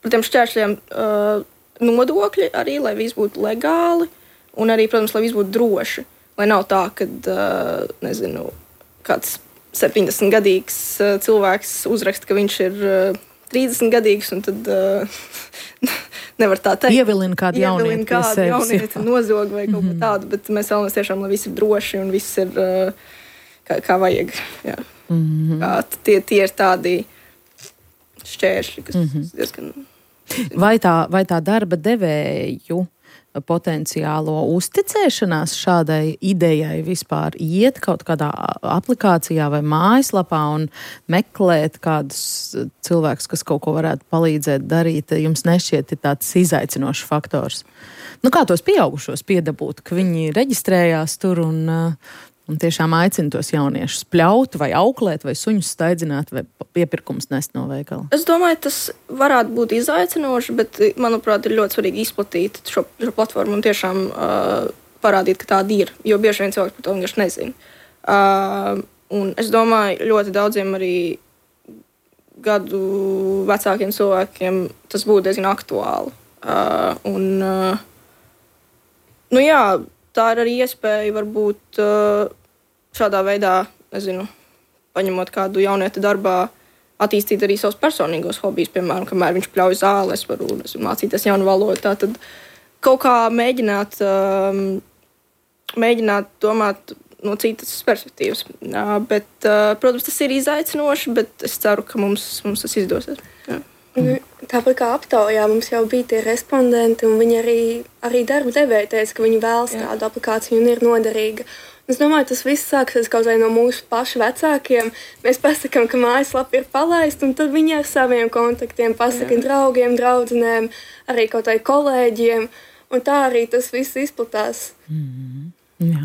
par tiem šķēršļiem uh, nodokļi arī, lai viss būtu legāli un arī, protams, lai viss būtu droši. Lai nav tā, ka, uh, nezinu, kāds septiņdesmitgadīgs uh, cilvēks uzraksta, ka viņš ir uh, trīsdesmitgadīgs un tad uh, nevar tā teikt. Ievilina kādu jaunieti pie sevis. Jaunieti nozog vai kaut mm-hmm. ko tādu, bet mēs vēlamies tiešām, lai viss ir droši un viss ir uh, kā, kā vajag. Jā. Mm-hmm. Kā, tie, tie ir tādi šķēršļi, kas mm-hmm. diezgan... Vai tā, vai tā darba devēju potenciālo uzticēšanās šādai idejai vispār iet kaut kādā aplikācijā vai mājaslapā un meklēt kādus cilvēkus, kas kaut ko varētu palīdzēt darīt, jums nešķiet ir tāds izaicinošs faktors? Nu, kā tos pieaugušos piedabūt, ka viņi reģistrējās tur un, un tiešām aicina tos jauniešus pļaut vai auklēt vai suņus staidzināt vai piepirkums nest no veikala? Es domāju, tas varētu būt izaicinoši, bet, manuprāt, ir ļoti svarīgi izplatīt šo, šo platformu un tiešām uh, parādīt, ka tāda ir, jo bieži vien cilvēki par to vienkārši nezina. Uh, un es domāju, ļoti daudziem arī gadu vecākiem cilvēkiem tas būtu diezgan aktuāli. Uh, un, uh, nu jā, tā ir arī iespēja varbūt uh, šādā veidā, nezinu, paņemot kādu jaunieti darbā, attīstīt arī savus personīgos hobijus, piemēram, kamēr viņš pļauj zāli, es varu nezinu, mācīties jaunu valodu. Tātad kaut kā mēģināt, um, mēģināt domāt no citas perspektīvas. Uh, bet, uh, protams, tas ir izaicinoši, bet es ceru, ka mums, mums tas izdosies. Jā. Tāpat kā aptaujā mums jau bija tie respondenti, un viņi arī, arī darba devēji teica, ka viņi vēlas Jā. Tādu aplikāciju un ir noderīga. Es domāju, tas viss sāksies kaut vai no mūsu pašu vecākiem. Mēs pasakām, ka mājaslapa ir palaista, un tad viņi ar saviem kontaktiem pasaka Jā. Draugiem, draudzenēm, arī kaut vai kolēģiem, un tā arī tas viss izplatās. Mm-hmm. Jā.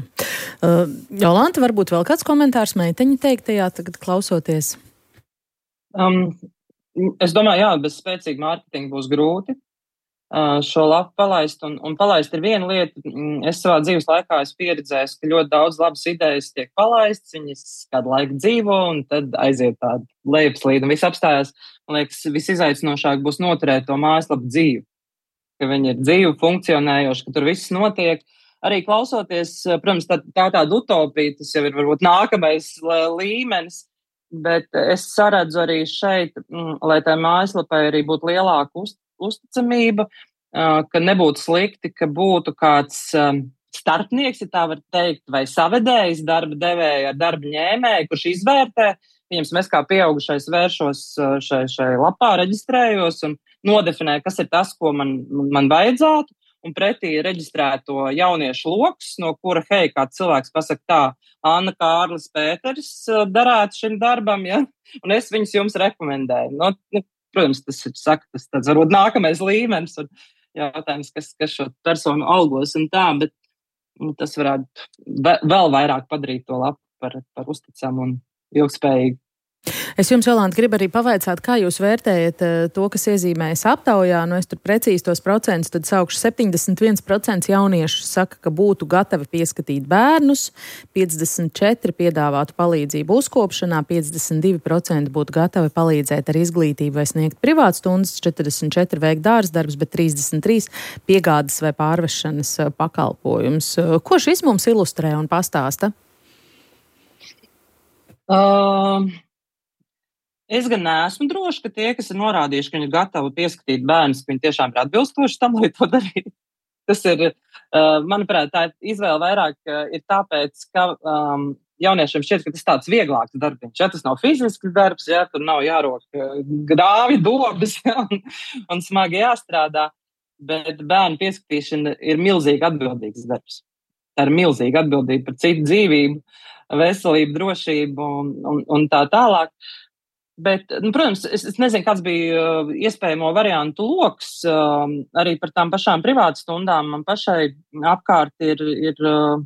Uh, Jolanta, varbūt vēl kāds komentārs meiteņu teiktajā tagad klausoties? Um, es domāju, jā, bez spēcīga mārketinga būs grūti uh, šo lapu palaist, un, un palaist ir viena lieta. Es savā dzīves laikā esmu pieredzējis, ka ļoti daudz labas idejas tiek palaistas, viņas kādu laiku dzīvo, un tad aiziet tādu lejupslīdu, un viss apstājās. Man liekas, visizaicinošāk būs noturēt to mājaslapu dzīvi, ka viņi ir dzīvi, funkcionējoši, ka tur viss notiek. Arī klausoties, protams, tā, tā tāda utopija, tas jau ir varbūt nākamais līmenis, bet es saredzu arī šeit, lai tā mājaslapai arī būtu lielāka uz, uzticamība, ka nebūtu slikti, ka būtu kāds starpnieks, ja tā var teikt, vai savedējs darba devēja ar darba ņēmēju, kurš izvērtē. Piemēram, es kā pieaugušais vēršos šai, šai lapā, reģistrējos un nodefinēju, kas ir tas, ko man, man vajadzētu. Un pretī reģistrēto jauniešu lokus, no kura, hei, kāds cilvēks pasaka tā, Anna, Kārlis, Pēteris darētu šim darbam, ja? Un es viņus jums rekomendēju. No, nu, protams, tas ir, saka, tas tāds varbūt nākamais līmenis un jautājums, kas, kas šo personu algos un tā, bet nu, tas varētu vēl vairāk padarīt to lapu par, par uzticamu un ilgspējīgu. Es jums, Jolanta, gribu arī pavaicāt, kā jūs vērtējat to, kas iezīmējas aptaujā. Nu, es tur precīzi tos procentus tad saukšu. septiņdesmit viens procents jauniešu saka, ka būtu gatavi pieskatīt bērnus, piecdesmit četri procenti piedāvātu palīdzību uzkopšanā, piecdesmit divi procenti būtu gatavi palīdzēt ar izglītību vai sniegt privātstundas, četrdesmit četri procenti veikt dārsdarbus, bet trīsdesmit trīs procenti piegādes vai pārvešanas pakalpojums. Ko šis mums ilustrē un pastāsta? Um... Es gan neesmu droši, ka tie, kas ir norādījuši, ka viņi ir gatavi pieskatīt bērnus, ka viņi tiešām ir atbilstoši tam, lai to darītu. Tas ir, uh, manuprāt, tā izvēle vairāk uh, ir tāpēc, ka um, jauniešiem šķiet, ka tas tāds vieglāks darbiņš. Ja, tas nav fizisks darbs, ja, tur nav jārok uh, grāvi, dobas, ja, un, un smagi jāstrādā, bet bērnu pieskatīšana ir milzīgi atbildīgs darbs. Tā ir milzīga atbildība par citu dzīvību, veselību, drošību un, un, un tā tālāk. Bet, nu, protams, es, es nezinu, kāds bija uh, iespējamo variantu loks uh, arī par tām pašām privātstundām. Man pašai apkārt ir, ir uh,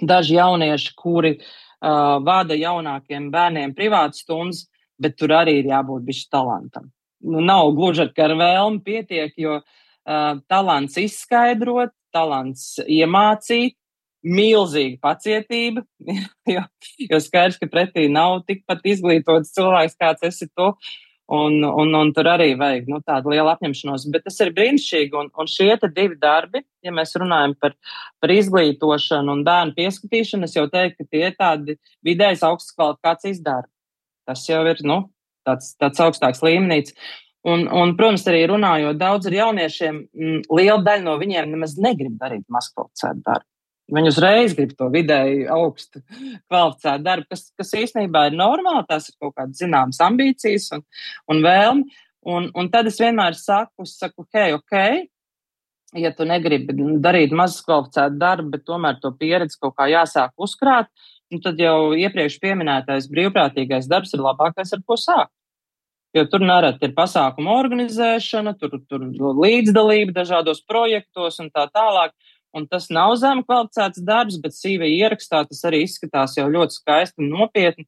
daži jaunieši, kuri uh, vada jaunākiem bērniem privātstundas, bet tur arī ir jābūt bišķi talantam. Nu, nav gluži ar vēlmi pietiek, jo uh, talants izskaidrot, talants iemācīt, milzīga pacietība, jo, jo skaidrs, ka pretī nav tikpat izglītots cilvēks, kāds esi tu, un, un, un tur arī vajag nu, tādu lielu apņemšanos. Bet tas ir brīnišķīgi, un, un šie te divi darbi, ja mēs runājam par, par izglītošanu un bērnu pieskatīšanu, es jau teiktu, ka tie ir tādi vidējas augstas kvalifikācijas darbi. Tas jau ir nu, tāds, tāds augstāks līmenīts. Un, un, protams, arī runājot daudz ar jauniešiem, m, liela daļa no viņiem nemaz negrib darīt mazkvalificētu darbu. Viņi uzreiz grib to vidēji augstu kvalificētu darbu, kas, kas īstenībā ir normāli, tās ir kaut kādas zināmas ambīcijas un, un vēlmi. Un, un tad es vienmēr saku, saku, ok, ok, ja tu negribi darīt mazas kvalificētu darbu, bet tomēr to pieredzi kaut kā jāsāk uzkrāt, nu tad jau iepriekš pieminētais brīvprātīgais darbs ir labākais, ar ko sākt. Jo tur nereti ir pasākuma organizēšana, tur, tur līdzdalība dažādos projektos un tā tālāk. Un tas nav zem kvalificēts darbs, bet C V ierakstā tas arī izskatās jau ļoti skaisti un nopietni,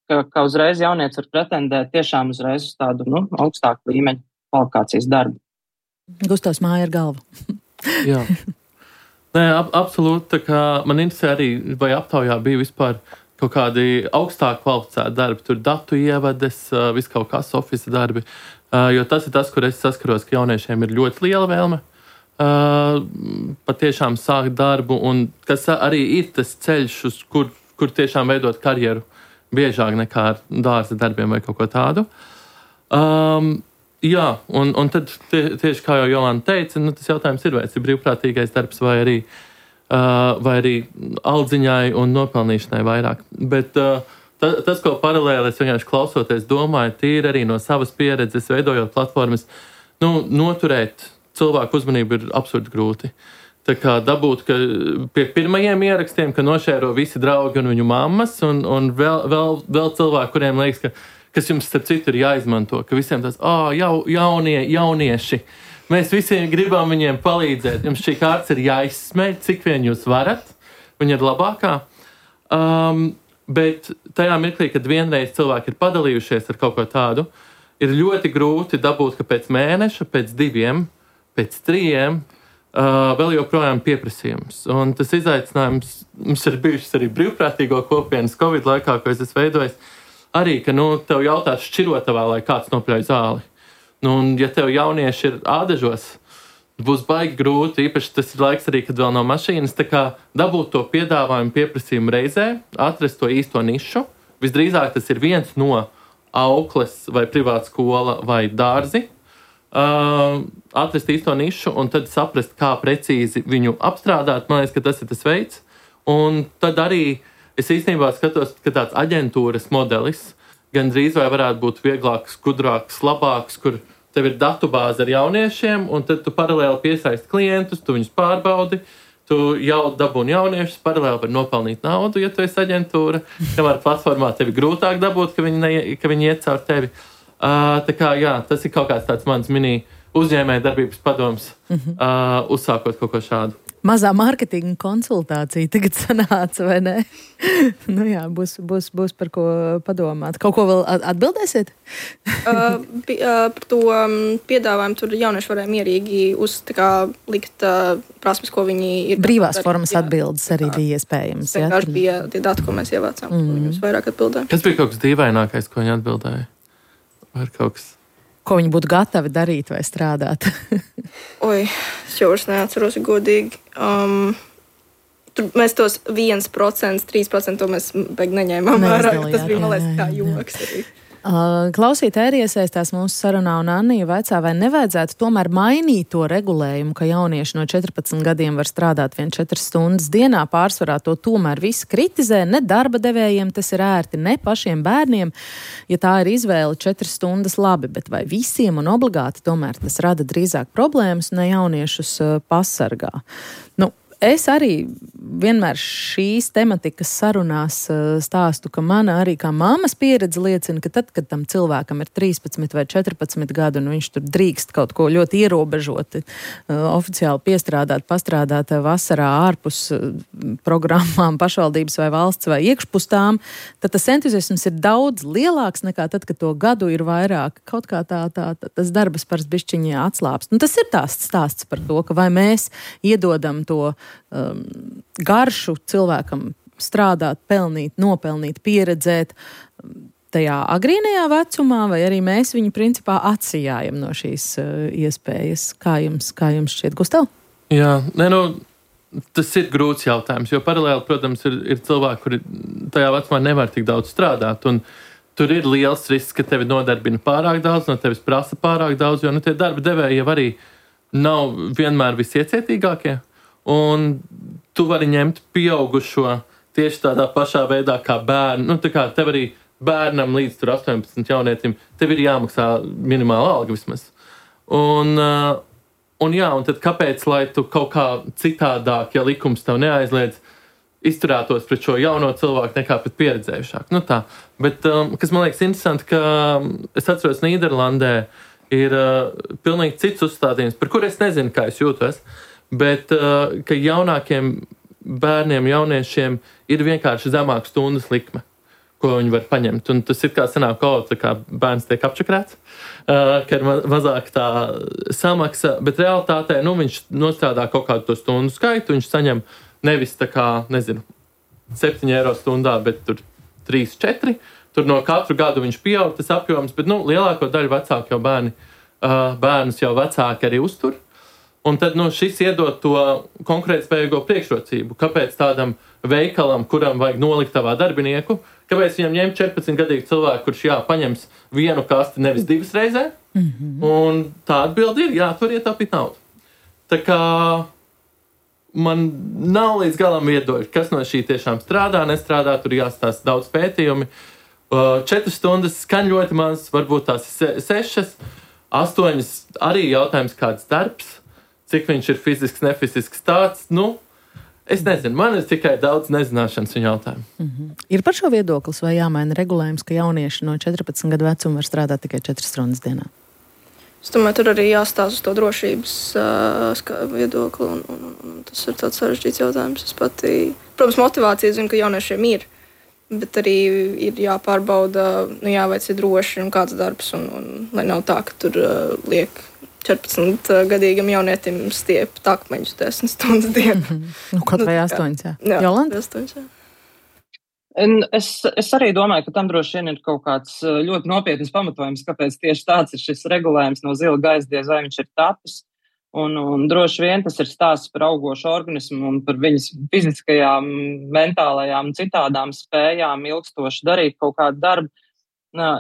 ka, ka uzreiz jaunietis var pretendēt tiešām uzreiz uz tādu nu, augstāku līmeņu kvalifikācijas darbu. Gustavs māja ar galvu. Jā. Nē, ab, absolūti. Tā kā man interesē arī, vai aptaujā bija vispār kaut kādi augstāk kvalificēti darbi, tur datu ievades, viss kaut kāds office darbi, jo tas ir tas, kur es saskaros, ka jauniešiem ir ļoti liela vēlme. Uh, patiešām sākt darbu, un kas arī ir tas ceļš, uz kur, kur tiešām veidot karjeru biežāk nekā ar dārza darbiem vai kaut ko tādu. Um, jā, un, un tad tie, tieši kā jau Jolanta teica, nu, tas jautājums ir, vai tas ir brīvprātīgais darbs vai arī, uh, vai arī aldziņai un nopelnīšanai vairāk. Bet uh, ta, tas, ko paralēli es vienkārši klausoties domāju, tīri arī no savas pieredzes, veidojot platformas, nu, noturēt cilvēku uzmanību ir absurdi grūti. Tā kā dabūt, ka pie pirmajiem ierakstiem, ka nošēro visi draugi un viņu mammas, un, un vēl, vēl, vēl cilvēki, kuriem liekas, ka, kas jums starp citu ir jāizmanto, ka visiem tās, ā, jau, jaunie, jaunieši, mēs visiem gribam viņiem palīdzēt, jums šī kārts ir jāizsmeļ, cik vien jūs varat, viņa ir labākā. Um, bet tajā mirklī, kad vienreiz cilvēki ir padalījušies ar kaut ko tādu, ir ļoti grūti dabūt, ka pēc mēneša, pēc diviem, pēc trījiem uh, vēl joprojām pieprasījums. Un tas izaicinājums mums ir bijušas arī brīvprātīgo kopienas Covid laikā, ko es esmu veidojis, arī, ka, nu, tev jautās šķirotavā, lai kāds nopļauj zāli. Nu, un ja tev jaunieši ir ādažos, būs baigi grūti, īpaši tas ir laiks arī, kad vēl nav mašīnas, tā kā dabūt to piedāvājumu pieprasījumu reizē, atrast to īsto nišu. Visdrīzāk tas ir viens no aukles vai privāta skola vai dārzi, Uh, atrast īsto nišu un tad saprast, kā precīzi viņu apstrādāt. Man liekas, ka tas ir tas veids. Un tad arī es īstenībā skatos, ka tāds aģentūras modelis gandrīz vai varētu būt vieglāks, gudrāks, labāks, kur tev ir datubāze ar jauniešiem, un tad tu paralēli piesaisti klientus, tu viņus pārbaudi, tu jau dabūni jauniešus, paralēli var nopelnīt naudu, ja tu esi aģentūra, kamēr platformā tevi grūtāk dabūt, ka viņi, ne, ka viņi iet caur tevi. Uh, tā kā, jā, tas ir kaut kāds tāds mans mini uzņēmēja darbības padoms, mm-hmm. uh, uzsākot kaut ko šādu. Mazā mārketinga konsultācija tagad sanāca, vai ne? Nu jā, būs, būs, būs par ko padomāt. Kaut ko vēl atbildēsiet? uh, p- uh, par to um, piedāvājumu tur jaunieši varēja mierīgi uz, tā kā, likt uh, prasmes, ko viņi ir. Brīvās formas jā, atbildes arī tā, bija iespējams. Tas vienkārši bija tie dati, ko mēs ievācām, mm. ko viņus vairāk atbildēja. Kas bija kaut kas dīvainākais, ko viņi atbildēja? Vai kaut kas? Ko viņi būtu gatavi darīt vai strādāt? Oi, es jau vairs neatceros godīgi. Um, tur mēs tos viens procents, trīs procenti to mēs beig neņēmām vērā. Tas bija, man liekas, kā joks arī. Klausītāji arī iesaistās mūsu sarunā, un Annija vaicā, vai nevajadzētu tomēr mainīt to regulējumu, ka jaunieši no četrpadsmit gadiem var strādāt vien četras stundas dienā. Pārsvarā to tomēr visi kritizē, ne darba devējiem tas ir ērti, ne pašiem bērniem. Ja tā ir izvēle četras stundas labi, bet vai visiem un obligāti tomēr tas rada drīzāk problēmas un ne jauniešus pasargā? Nu, Es arī vienmēr šīs tematikas sarunās stāstu, ka mana arī kā mammas pieredze liecina, ka tad, kad tam cilvēkam ir trīspadsmit vai četrpadsmit gadu un viņš tur drīkst kaut ko ļoti ierobežoti, oficiāli piestrādāt, pastrādāt vasarā ārpus programmām pašvaldības vai valsts vai iekšpustām, tad tas entuziasms ir daudz lielāks nekā tad, kad to gadu ir vairāk. Kaut kā tā, tā, tā tas darbas pars bišķiņā atslāpst. Un tas ir tās stāsts par to, ka vai mēs iedodam to um, garšu cilvēkam strādāt, pelnīt, nopelnīt, pieredzēt tajā agrīnajā vecumā, vai arī mēs viņu principā atsijājam no šīs uh, iespējas. Kā jums, kā jums šķiet, Gustav? Jā, ne, nu, tas ir grūts jautājums, jo paralēli, protams, ir, ir cilvēki, kuri tajā vecumā nevar tik daudz strādāt, un tur ir liels risks, ka tevi nodarbina pārāk daudz, no tevis prasa pārāk daudz, jo nu, tie darba devēji jau arī nav vienmēr visiecietīgākie, un tu vari ņemt pieaugušo tieši tādā pašā veidā kā bērnu. Nu, tā kā tev arī bērnam līdz tur astoņpadsmit jaunietim, tev ir jāmaksā minimāla alga vismaz. Un, un jā, un tad kāpēc, lai tu kaut kā citādāk, ja likums tev neaizliedz, izturētos pret šo jauno cilvēku nekā pret pieredzējušāku. Nu tā. Bet, um, kas man liekas interesanti, ka es atceros Nīderlandē ir uh, pilnīgi cits uzstādījums, par kur es nezinu, kā es jūtos, bet uh, ka jaunākiem bērniem, jauniešiem ir vienkārši zemāka stundas likme, ko viņi var paņemt. Un tas ir kā sanāk, kaut kā bērns tiek apčakrēts, uh, ka ir ma- mazāk tā samaksa, bet realitātē, nu, viņš nostrādā kaut kādu to stundu skaitu, viņš saņem nevis tā kā, nezinu, septiņi eiro stundā, bet tur trīs, četri. Tur no katru gadu viņš pieaug tas apjoms, bet, nu, lielāko daļu vecāku jau bērni, uh, bērnus jau vecāki arī uztur. Un tad, nu, šis iedod to konkurētspējīgo priekšrocību. Kāpēc tādam veikalam, kuram vajag nolikt tavā darbinieku, kāpēc viņam ņemt četrpadsmitgadīgu cilvēku, kurš, jā, paņems vienu kasti nevis divas reizē? Mm-hmm. Un tā atbildi ir, jā, tur ietaupīt naudu. Tā kā man nav līdz galam viedoļi, kas no šī tiešām strādā, nestrādā, tur jāstāsta daudz pētījumi. Četras stundas skan ļoti maz, varbūt tās se- sešas, astoņas arī jautājums kāds darbs, cik viņš ir fizisks, nefizisks tāds, nu, es nezinu, man ir tikai daudz nezināšanas un jautājumu. Mm-hmm. Ir par šo viedoklis vai jāmaina regulējums, ka jaunieši no četrpadsmit gadu vecuma var strādāt tikai četras stundas dienā? Es domāju, tur arī jāstāsta uz to drošības uh, viedokli, un, un, un, un tas ir tāds sarežģīts jautājums. Es pati, protams, motivācija zinu, ka jauniešiem ir, bet arī ir jāpārbauda, nu jāveic ir droši un kāds darbs, un, un lai nav tā, ka tur uh, liek četrpadsmitgadīgam jaunietim stiep takmeņus desmit stundas dienā. Nu, kaut vai astoņas, jā. Jā, Jolanta? astoņas, jā. Un es, es arī domāju, ka tam droši vien ir kaut kāds ļoti nopietns pamatojums, kāpēc tieši tāds ir šis regulējums no zila gaisa, diez vai viņš ir tapis. Un, un droši vien tas ir stāsts par augošu organismu un par viņas fiziskajām, mentālajām un citādām spējām ilgstoši darīt kaut kādu darbu.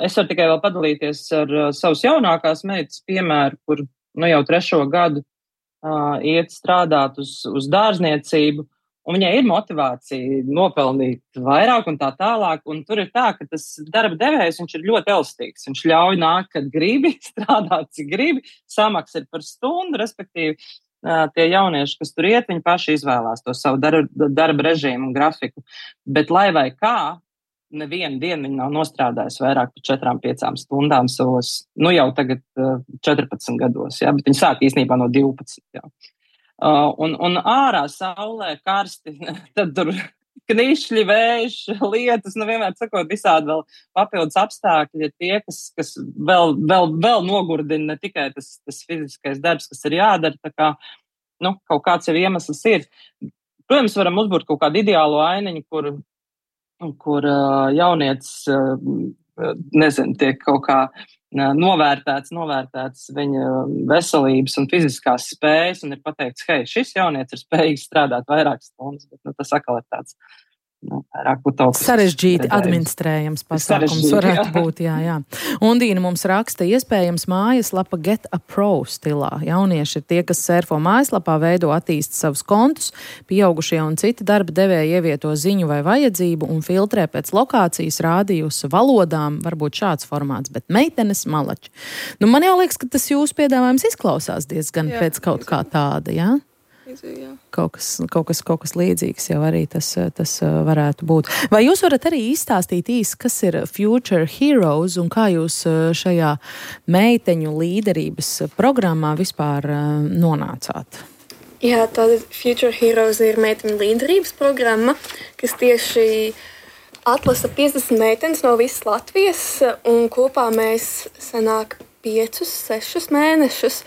Es varu tikai vēl padalīties ar savas jaunākās meitas piemēru, kur nu, jau trešo gadu uh, iet strādāt uz, uz dārzniecību, un viņai ir motivācija nopelnīt vairāk un tā tālāk, un tur ir tā, ka tas darba devējs, viņš ir ļoti elastīgs, viņš ļauj nākt, kad gribi, strādāt, cik gribi, samaksa ir par stundu, respektīvi uh, tie jaunieši, kas tur iet, viņi paši izvēlās to savu darba, darba režīmu un grafiku, bet lai vai kā, nevienu dienu viņi nav nostrādājusi vairāk par četrām, piecām stundām savos, nu jau tagad uh, četrpadsmit gados, jā, bet viņi sāk īstenībā no divpadsmit, jā. Uh, un, un ārā saulē karsti, tad tur knišļi, vējš, lietas, nu vienmēr sakot, visādi vēl papildus apstākļi ir tie, kas, kas vēl, vēl, vēl nogurdina ne tikai tas, tas fiziskais darbs, kas ir jādara, tā kā, nu, kaut kāds jau iemesls ir. Protams, varam uzbūrt kaut kādu ideālu ainiņu, kur kur uh, jaunietis, uh, nezinu, tiek kaut kā uh, novērtēts, novērtēts viņa veselības un fiziskās spējas, un ir pateikts, hei, šis jaunietis ir spējīgs strādāt vairākas stundas, bet nu, tas atkal ir tāds nu, vairāk utopisks. Sarežģīti administrējams pasākums varētu jā. būt, jā, jā. Undīna mums raksta, iespējams mājaslapa Get a Pro stilā. Jaunieši ir tie, kas sērfo mājaslapā, veido attīst savus kontus, pieaugušie un citi darba devēji ievieto ziņu vai vajadzību un filtrē pēc lokācijas, rādījusa, valodām, varbūt šāds formāts, bet meitenes malači. Nu, man jau liekas, ka tas jūsu piedāvājums izklausās diezgan jā, pēc kaut kā tāda, jā? līdzīgi, jā. Kaut kas, kaut kas, kaut kas līdzīgs jau arī tas, tas varētu būt. Vai jūs varat arī izstāstīt īsi, kas ir Future Heroes un kā jūs šajā meiteņu līderības programmā vispār nonācāt? Jā, tātad Future Heroes ir meiteņu līderības programma, kas tieši atlasa piecdesmit meitenes no visas Latvijas, un kopā mēs sanāk piecus, sešus mēnešus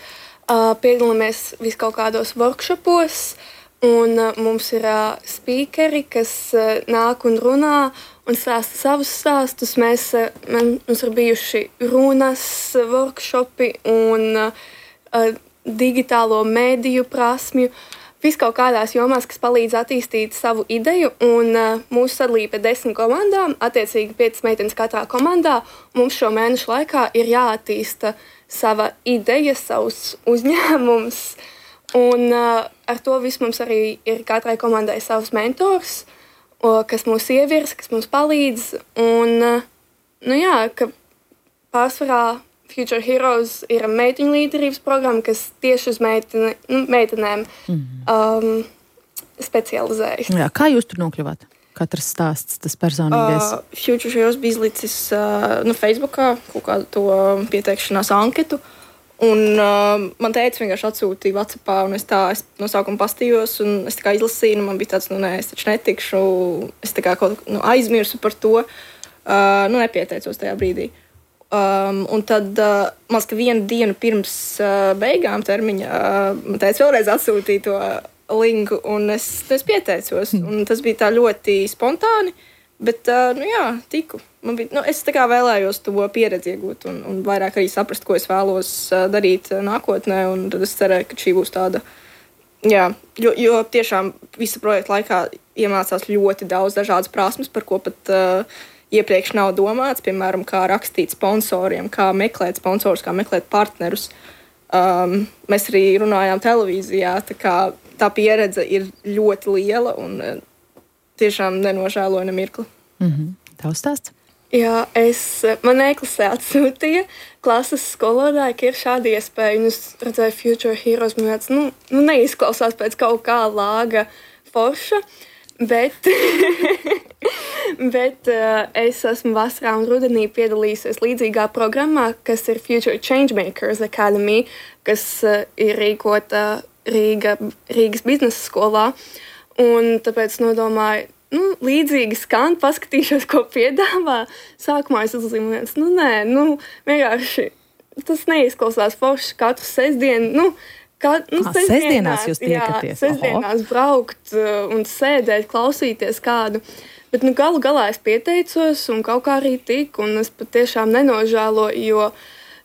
uh, piedalāmies vis kaut kādos workshopos, un uh, mums ir uh, speakeri, kas uh, nāk un runā un stāsta savus stāstus. Mēs, uh, man, mums ir bijuši runas workshopi un uh, uh, digitālo mēdīju prasmju, vis kaut kādās jomās, kas palīdz attīstīt savu ideju, un uh, mūsu sadalība ir desmit komandām, attiecīgi piecas meitenes katrā komandā. Mums šo mēnešu laikā ir jāattīsta sava ideja, savs uzņēmums, un uh, ar to visu mums arī ir katrai komandai savs mentors, o, kas mūs ievirza, kas mums palīdz, un, uh, nu jā, ka pārsvarā Future Heroes ir meiteņu līderības programma, kas tieši uz meitene, nu, meitenēm mm. um, specializējas. Jā, kā jūs tur nokļuvāt? Katrs stāsts, tas personīgais. Uh, Future Heroes bija izlicis uh, no Facebookā kaut kādu to pieteikšanās anketu, un uh, man teica vienkārši atsūtīja WhatsAppā, un es tā es no sākuma pastījos, un es tā kā izlasīju, un man bija tāds, nu nē, es taču netikšu, es tā kā kaut nu, aizmirsu par to, uh, nu nepieteicos tajā brīdī. Um, un tad, uh, man liekas, ka vienu dienu pirms uh, beigām termiņa uh, man teica vēlreiz atsūtīt to linku, un es, es pieteicos. Un tas bija tā ļoti spontāni, bet, uh, nu jā, tiku. Man bija, nu, es tā kā vēlējos to pieredzi iegūt un, un vairāk arī saprast, ko es vēlos uh, darīt uh, nākotnē, un tad es cerēju, ka šī būs tāda, jā, jo, jo tiešām visa projekta laikā iemācās ļoti daudz dažādas prasmes, par ko pat uh, iepriekš nav domāts, piemēram, kā rakstīt sponsoriem, kā meklēt sponsorus, kā meklēt partnerus. Um, mēs arī runājām televīzijā, tā kā tā pieredze ir ļoti liela un uh, tiešām nenožēloju ne mirkli. Mm-hmm. Tavs stāsts? Jā, es, man e-klasē atsūtīja klases skolotāji, ka ir šāda iespēja, un es redzēju Future Heroes, man tāds, nu, nu neizklausās pēc kaut kā lāga forša, bet, bet uh, es esmu vasarā un rudenī piedalījusies līdzīgā programmā, kas ir Future Changemakers Academy, kas uh, ir rīkota Rīga, Rīgas biznesa skolā, un tāpēc nodomāju, nu, līdzīgi skan, paskatīšos, ko piedāvā. Sākumā es uzzīmēju, nu, nē, nu, vienkārši tas neizklausās forši katru sestdienu, nu, Kā, nu, ah, sestdienās jūs tiekaties? Jā, sestdienās Oho. braukt uh, un sēdēt, klausīties kādu. Bet nu, galu galā es pieteicos un kaut kā arī tiku, un es patiešām nenožēloju, jo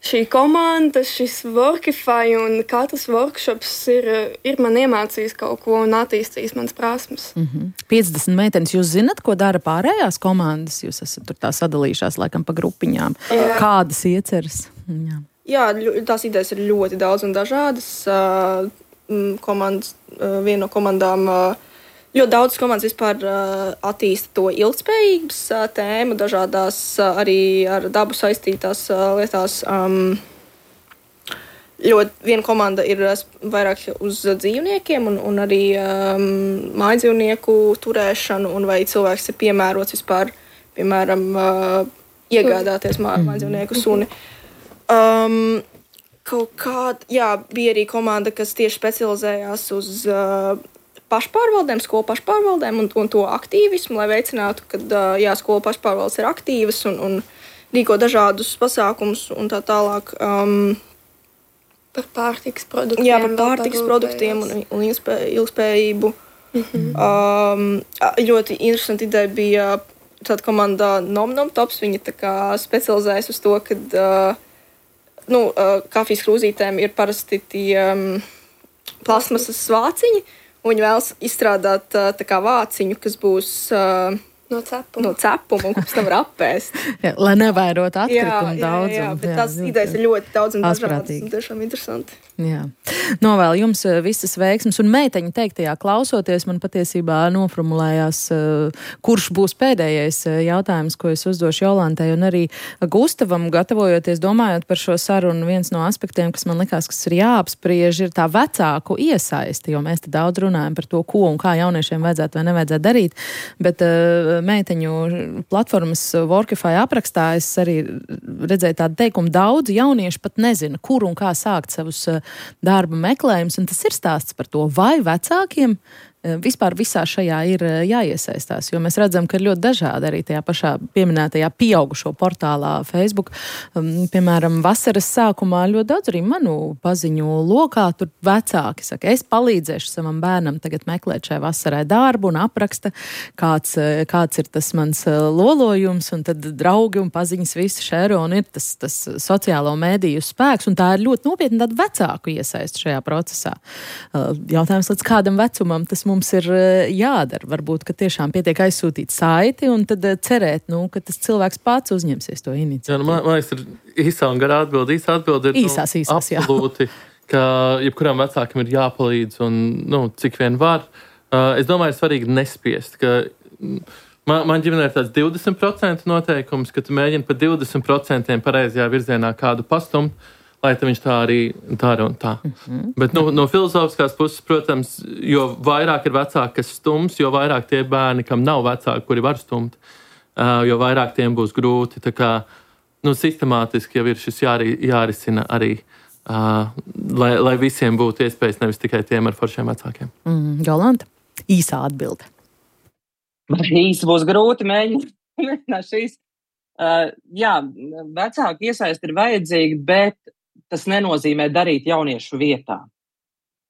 šī komanda, šis Workify un katrs workshops ir, ir man iemācījis kaut ko un attīstījis manas prasmes. Mm-hmm. piecdesmit meitenes, jūs zinat, ko dara pārējās komandas? Jūs esat tur tā sadalījušās laikam pa grupiņām. Jā. Kādas ieceras? Jā. Jā, tās idejas ir ļoti daudz un dažādas. Uh, komandas, uh, viena no komandām, uh, ļoti daudz komandas vispār uh, attīsta to ilgspējības uh, tēmu, dažādās uh, arī ar dabu saistītās uh, lietās. Um, ļoti viena komanda ir vairāk uz dzīvniekiem un, un arī um, mājdzīvnieku turēšanu, un vai cilvēks ir piemērots vispār, piemēram, uh, iegādāties mā, mājdzīvnieku suni. Um, kaut kāda, jā, bija arī komanda, kas tieši specializējās uz uh, pašpārvaldēm, skolu pašpārvaldēm un, un to aktīvismu, lai veicinātu, ka uh, jā, skolu pašpārvaldes ir aktīvas un, un rīko dažādus pasākumus un tā tālāk. Um, par pārtikas produktiem. Jā, par pārtikas produktiem un, un ilgspējību. Mm-hmm. Um, ļoti interesanti ideja bija tāda komanda Nom Nom Tops. Viņa tā kā specializējas uz to, kad uh, Nu, uh, kafijas krūzītēm ir parasti tie um, plasmasas vāciņi, un viņi vēlas izstrādāt uh, tā kā vāciņu, kas būs uh, No cepuma. No cepuma, un pēc tam var apēst. Jā, lai nevairotu atkritumu jā, daudzumu. Jā, jā, bet jā, tās ļoti idejas ir ļoti daudz un dažādas. asprātīgi. Un tiešām interesanti. Jā. Novēlu jums visas veiksmes, un meiteņa teiktajā klausoties, man patiesībā noformulējās, kurš būs pēdējais jautājums, ko es uzdošu Jolantai, un arī Gustavam, gatavojoties, domājot par šo sarunu, viens no aspektiem, kas man likās, kas ir jāapspriež, ir tā vecāku iesaisti, jo mēs te daudz runājam par to, ko un kā jauniešiem vajadzētu vai nevajadzētu darīt, bet uh, meiteņu platformas Workify aprakstā es arī redzēju tādu teikumu, daudzi jaunieši pat nezina, kur un kā sākt savus uh, darba meklējums, un tas ir stāsts par to, vai vecākiem vispār visā šajā ir jāiesaistās, jo mēs redzam, ka ir ļoti dažādi arī tajā pašā pieminētajā pieaugušo portālā Facebook. Um, piemēram, vasaras sākumā ļoti daudz arī manu paziņu lokā tur vecāki saka, es palīdzēšu savam bērnam tagad meklēt šai vasarai darbu un apraksta, kāds, kāds ir tas mans lolojums, un tad draugi un paziņas visi šēro, un ir tas, tas sociālo mēdīju spēks, un tā ir ļoti nopietni tāda vecāku iesaist šajā procesā. Uh, jautājums, līdz kādam vecumam tas mums ir jādara. Varbūt, ka tiešām pietiek aizsūtīt saiti un tad cerēt, nu, ka tas cilvēks pats uzņemsies to iniciatīvu. Jā, nu, man, man liekas, ir īsā un garā atbildi. Īsā atbildi ir īsās, nu, īsās, absolūti, ka jebkuram vecākam ir jāpalīdz un nu, cik vien var. Uh, es domāju, ir svarīgi nespiest, ka man, man ģimenē ir tāds divdesmit procenti noteikums, ka tu mēģini pa divdesmit procentiem pareizajā virzienā kādu pastumt, lai viņš tā arī dara un tā. Mm-hmm. Bet nu, no filozofiskās puses, protams, jo vairāk ir vecāki, kas stums, jo vairāk tie bērni, kam nav vecāki, kuri var stumt, uh, jo vairāk tiem būs grūti. Tā kā nu, sistemātiski jau ir šis jāri, jārisina arī, uh, lai, lai visiem būtu iespējas, nevis tikai tiem ar foršiem vecākiem. Mm, Jolanta, īsā atbilde. Īsi būs grūti mēģināt šīs. Uh, jā, vecāku iesaisti ir vajadzīgi, bet tas nenozīmē darīt jauniešu vietā.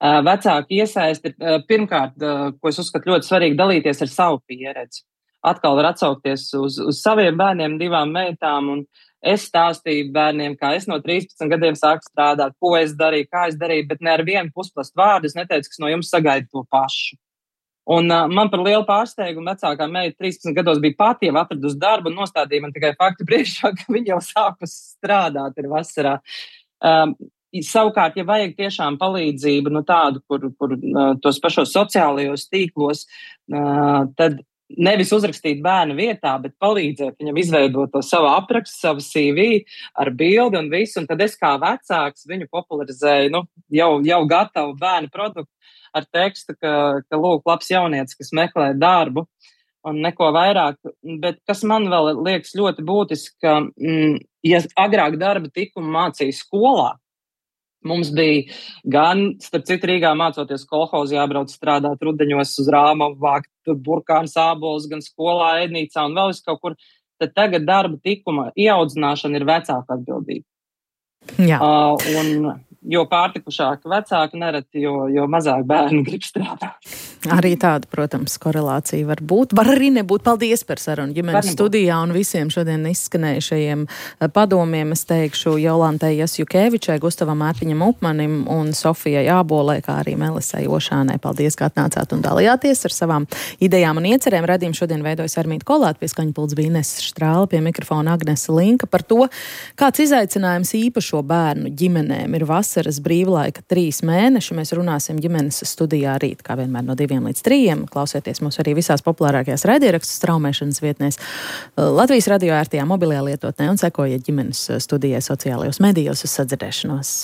Uh, vecāki iesaisti ir, uh, pirmkārt, uh, ko es uzskatu ļoti svarīgi, dalīties ar savu pieredzi. Atkal var atsaukties uz, uz saviem bērniem, divām meitām, un es stāstīju bērniem, kā es no trīspadsmit gadiem sāku strādāt, ko es darīju, kā es darīju, bet ne ar vienu pusplastu vārdu es neteicu, kas no jums sagaida to pašu. Un uh, man par lielu pārsteigumu vecākā meita trīspadsmit gados bija pati jau atradusi darbu un nostādīja man tikai faktu priekšā, ka viņa jau sākus strādāt ir vasarā. Um, savukārt, ja vajag tiešām palīdzību, nu tādu, kur, kur uh, tos pašos sociālajos tīklos, uh, tad nevis uzrakstīt bērnu vietā, bet palīdzēt viņam izveidot to savu aprakstu, savu C V ar bildi un visu, un tad es kā vecāks viņu popularizēju, nu, jau, jau gatavu bērnu produktu ar tekstu, ka, ka lūk, labs jaunietis, kas meklē darbu, un neko vairāk, bet kas man vēl liekas ļoti būtiski, ka, mm, ja agrāk darba tikumu mācīja skolā, mums bija gan, starp citu, Rīgā mācoties kolhozi jābrauc strādāt rudeņos uz Rāmavu, vākt tur burkāns ābolus, gan skolā, ēdnīcā un vēl vis kaut kur, tad tagad darba tikuma ieaudzināšana ir vecāka atbildība. Jā. Uh, un jo pārtikušāki vecāki nereti, jo, jo mazāk bērni grib strādāt. Arī tāda, protams, korelācija var būt. Var arī nebūt. Paldies par sarunu ģimenes studijā un visiem šodien izskanējušajiem padomiem. Es teikšu Jolantai Jasjukevičai, Gustavam Mārtiņam Upmanim un Sofijai Ābolē, kā arī Melisai Ošānai. Paldies, ka atnācāt un dalījāties ar savām idejām un iecerēm. Radījumu šodien veidojas Armīta Kolāta, pie skaņpults bija Ines Štrāle, pie mikrofona Agnese Linka par to, kāds izaicinājums īpašo bērnu ģimenēm ir vasaras brīvlaika trīs mēneši. Mēs runāsim ģimenes studijā rīt, kā vienmēr no diviem līdz trījiem. Klausieties mūs arī visās populārākajās raidierakstu straumēšanas vietnēs, Latvijas radio ērtajā mobilajā lietotnē un sekojiet ģimenes studijai sociālajos medijos uz sadzirdēšanos.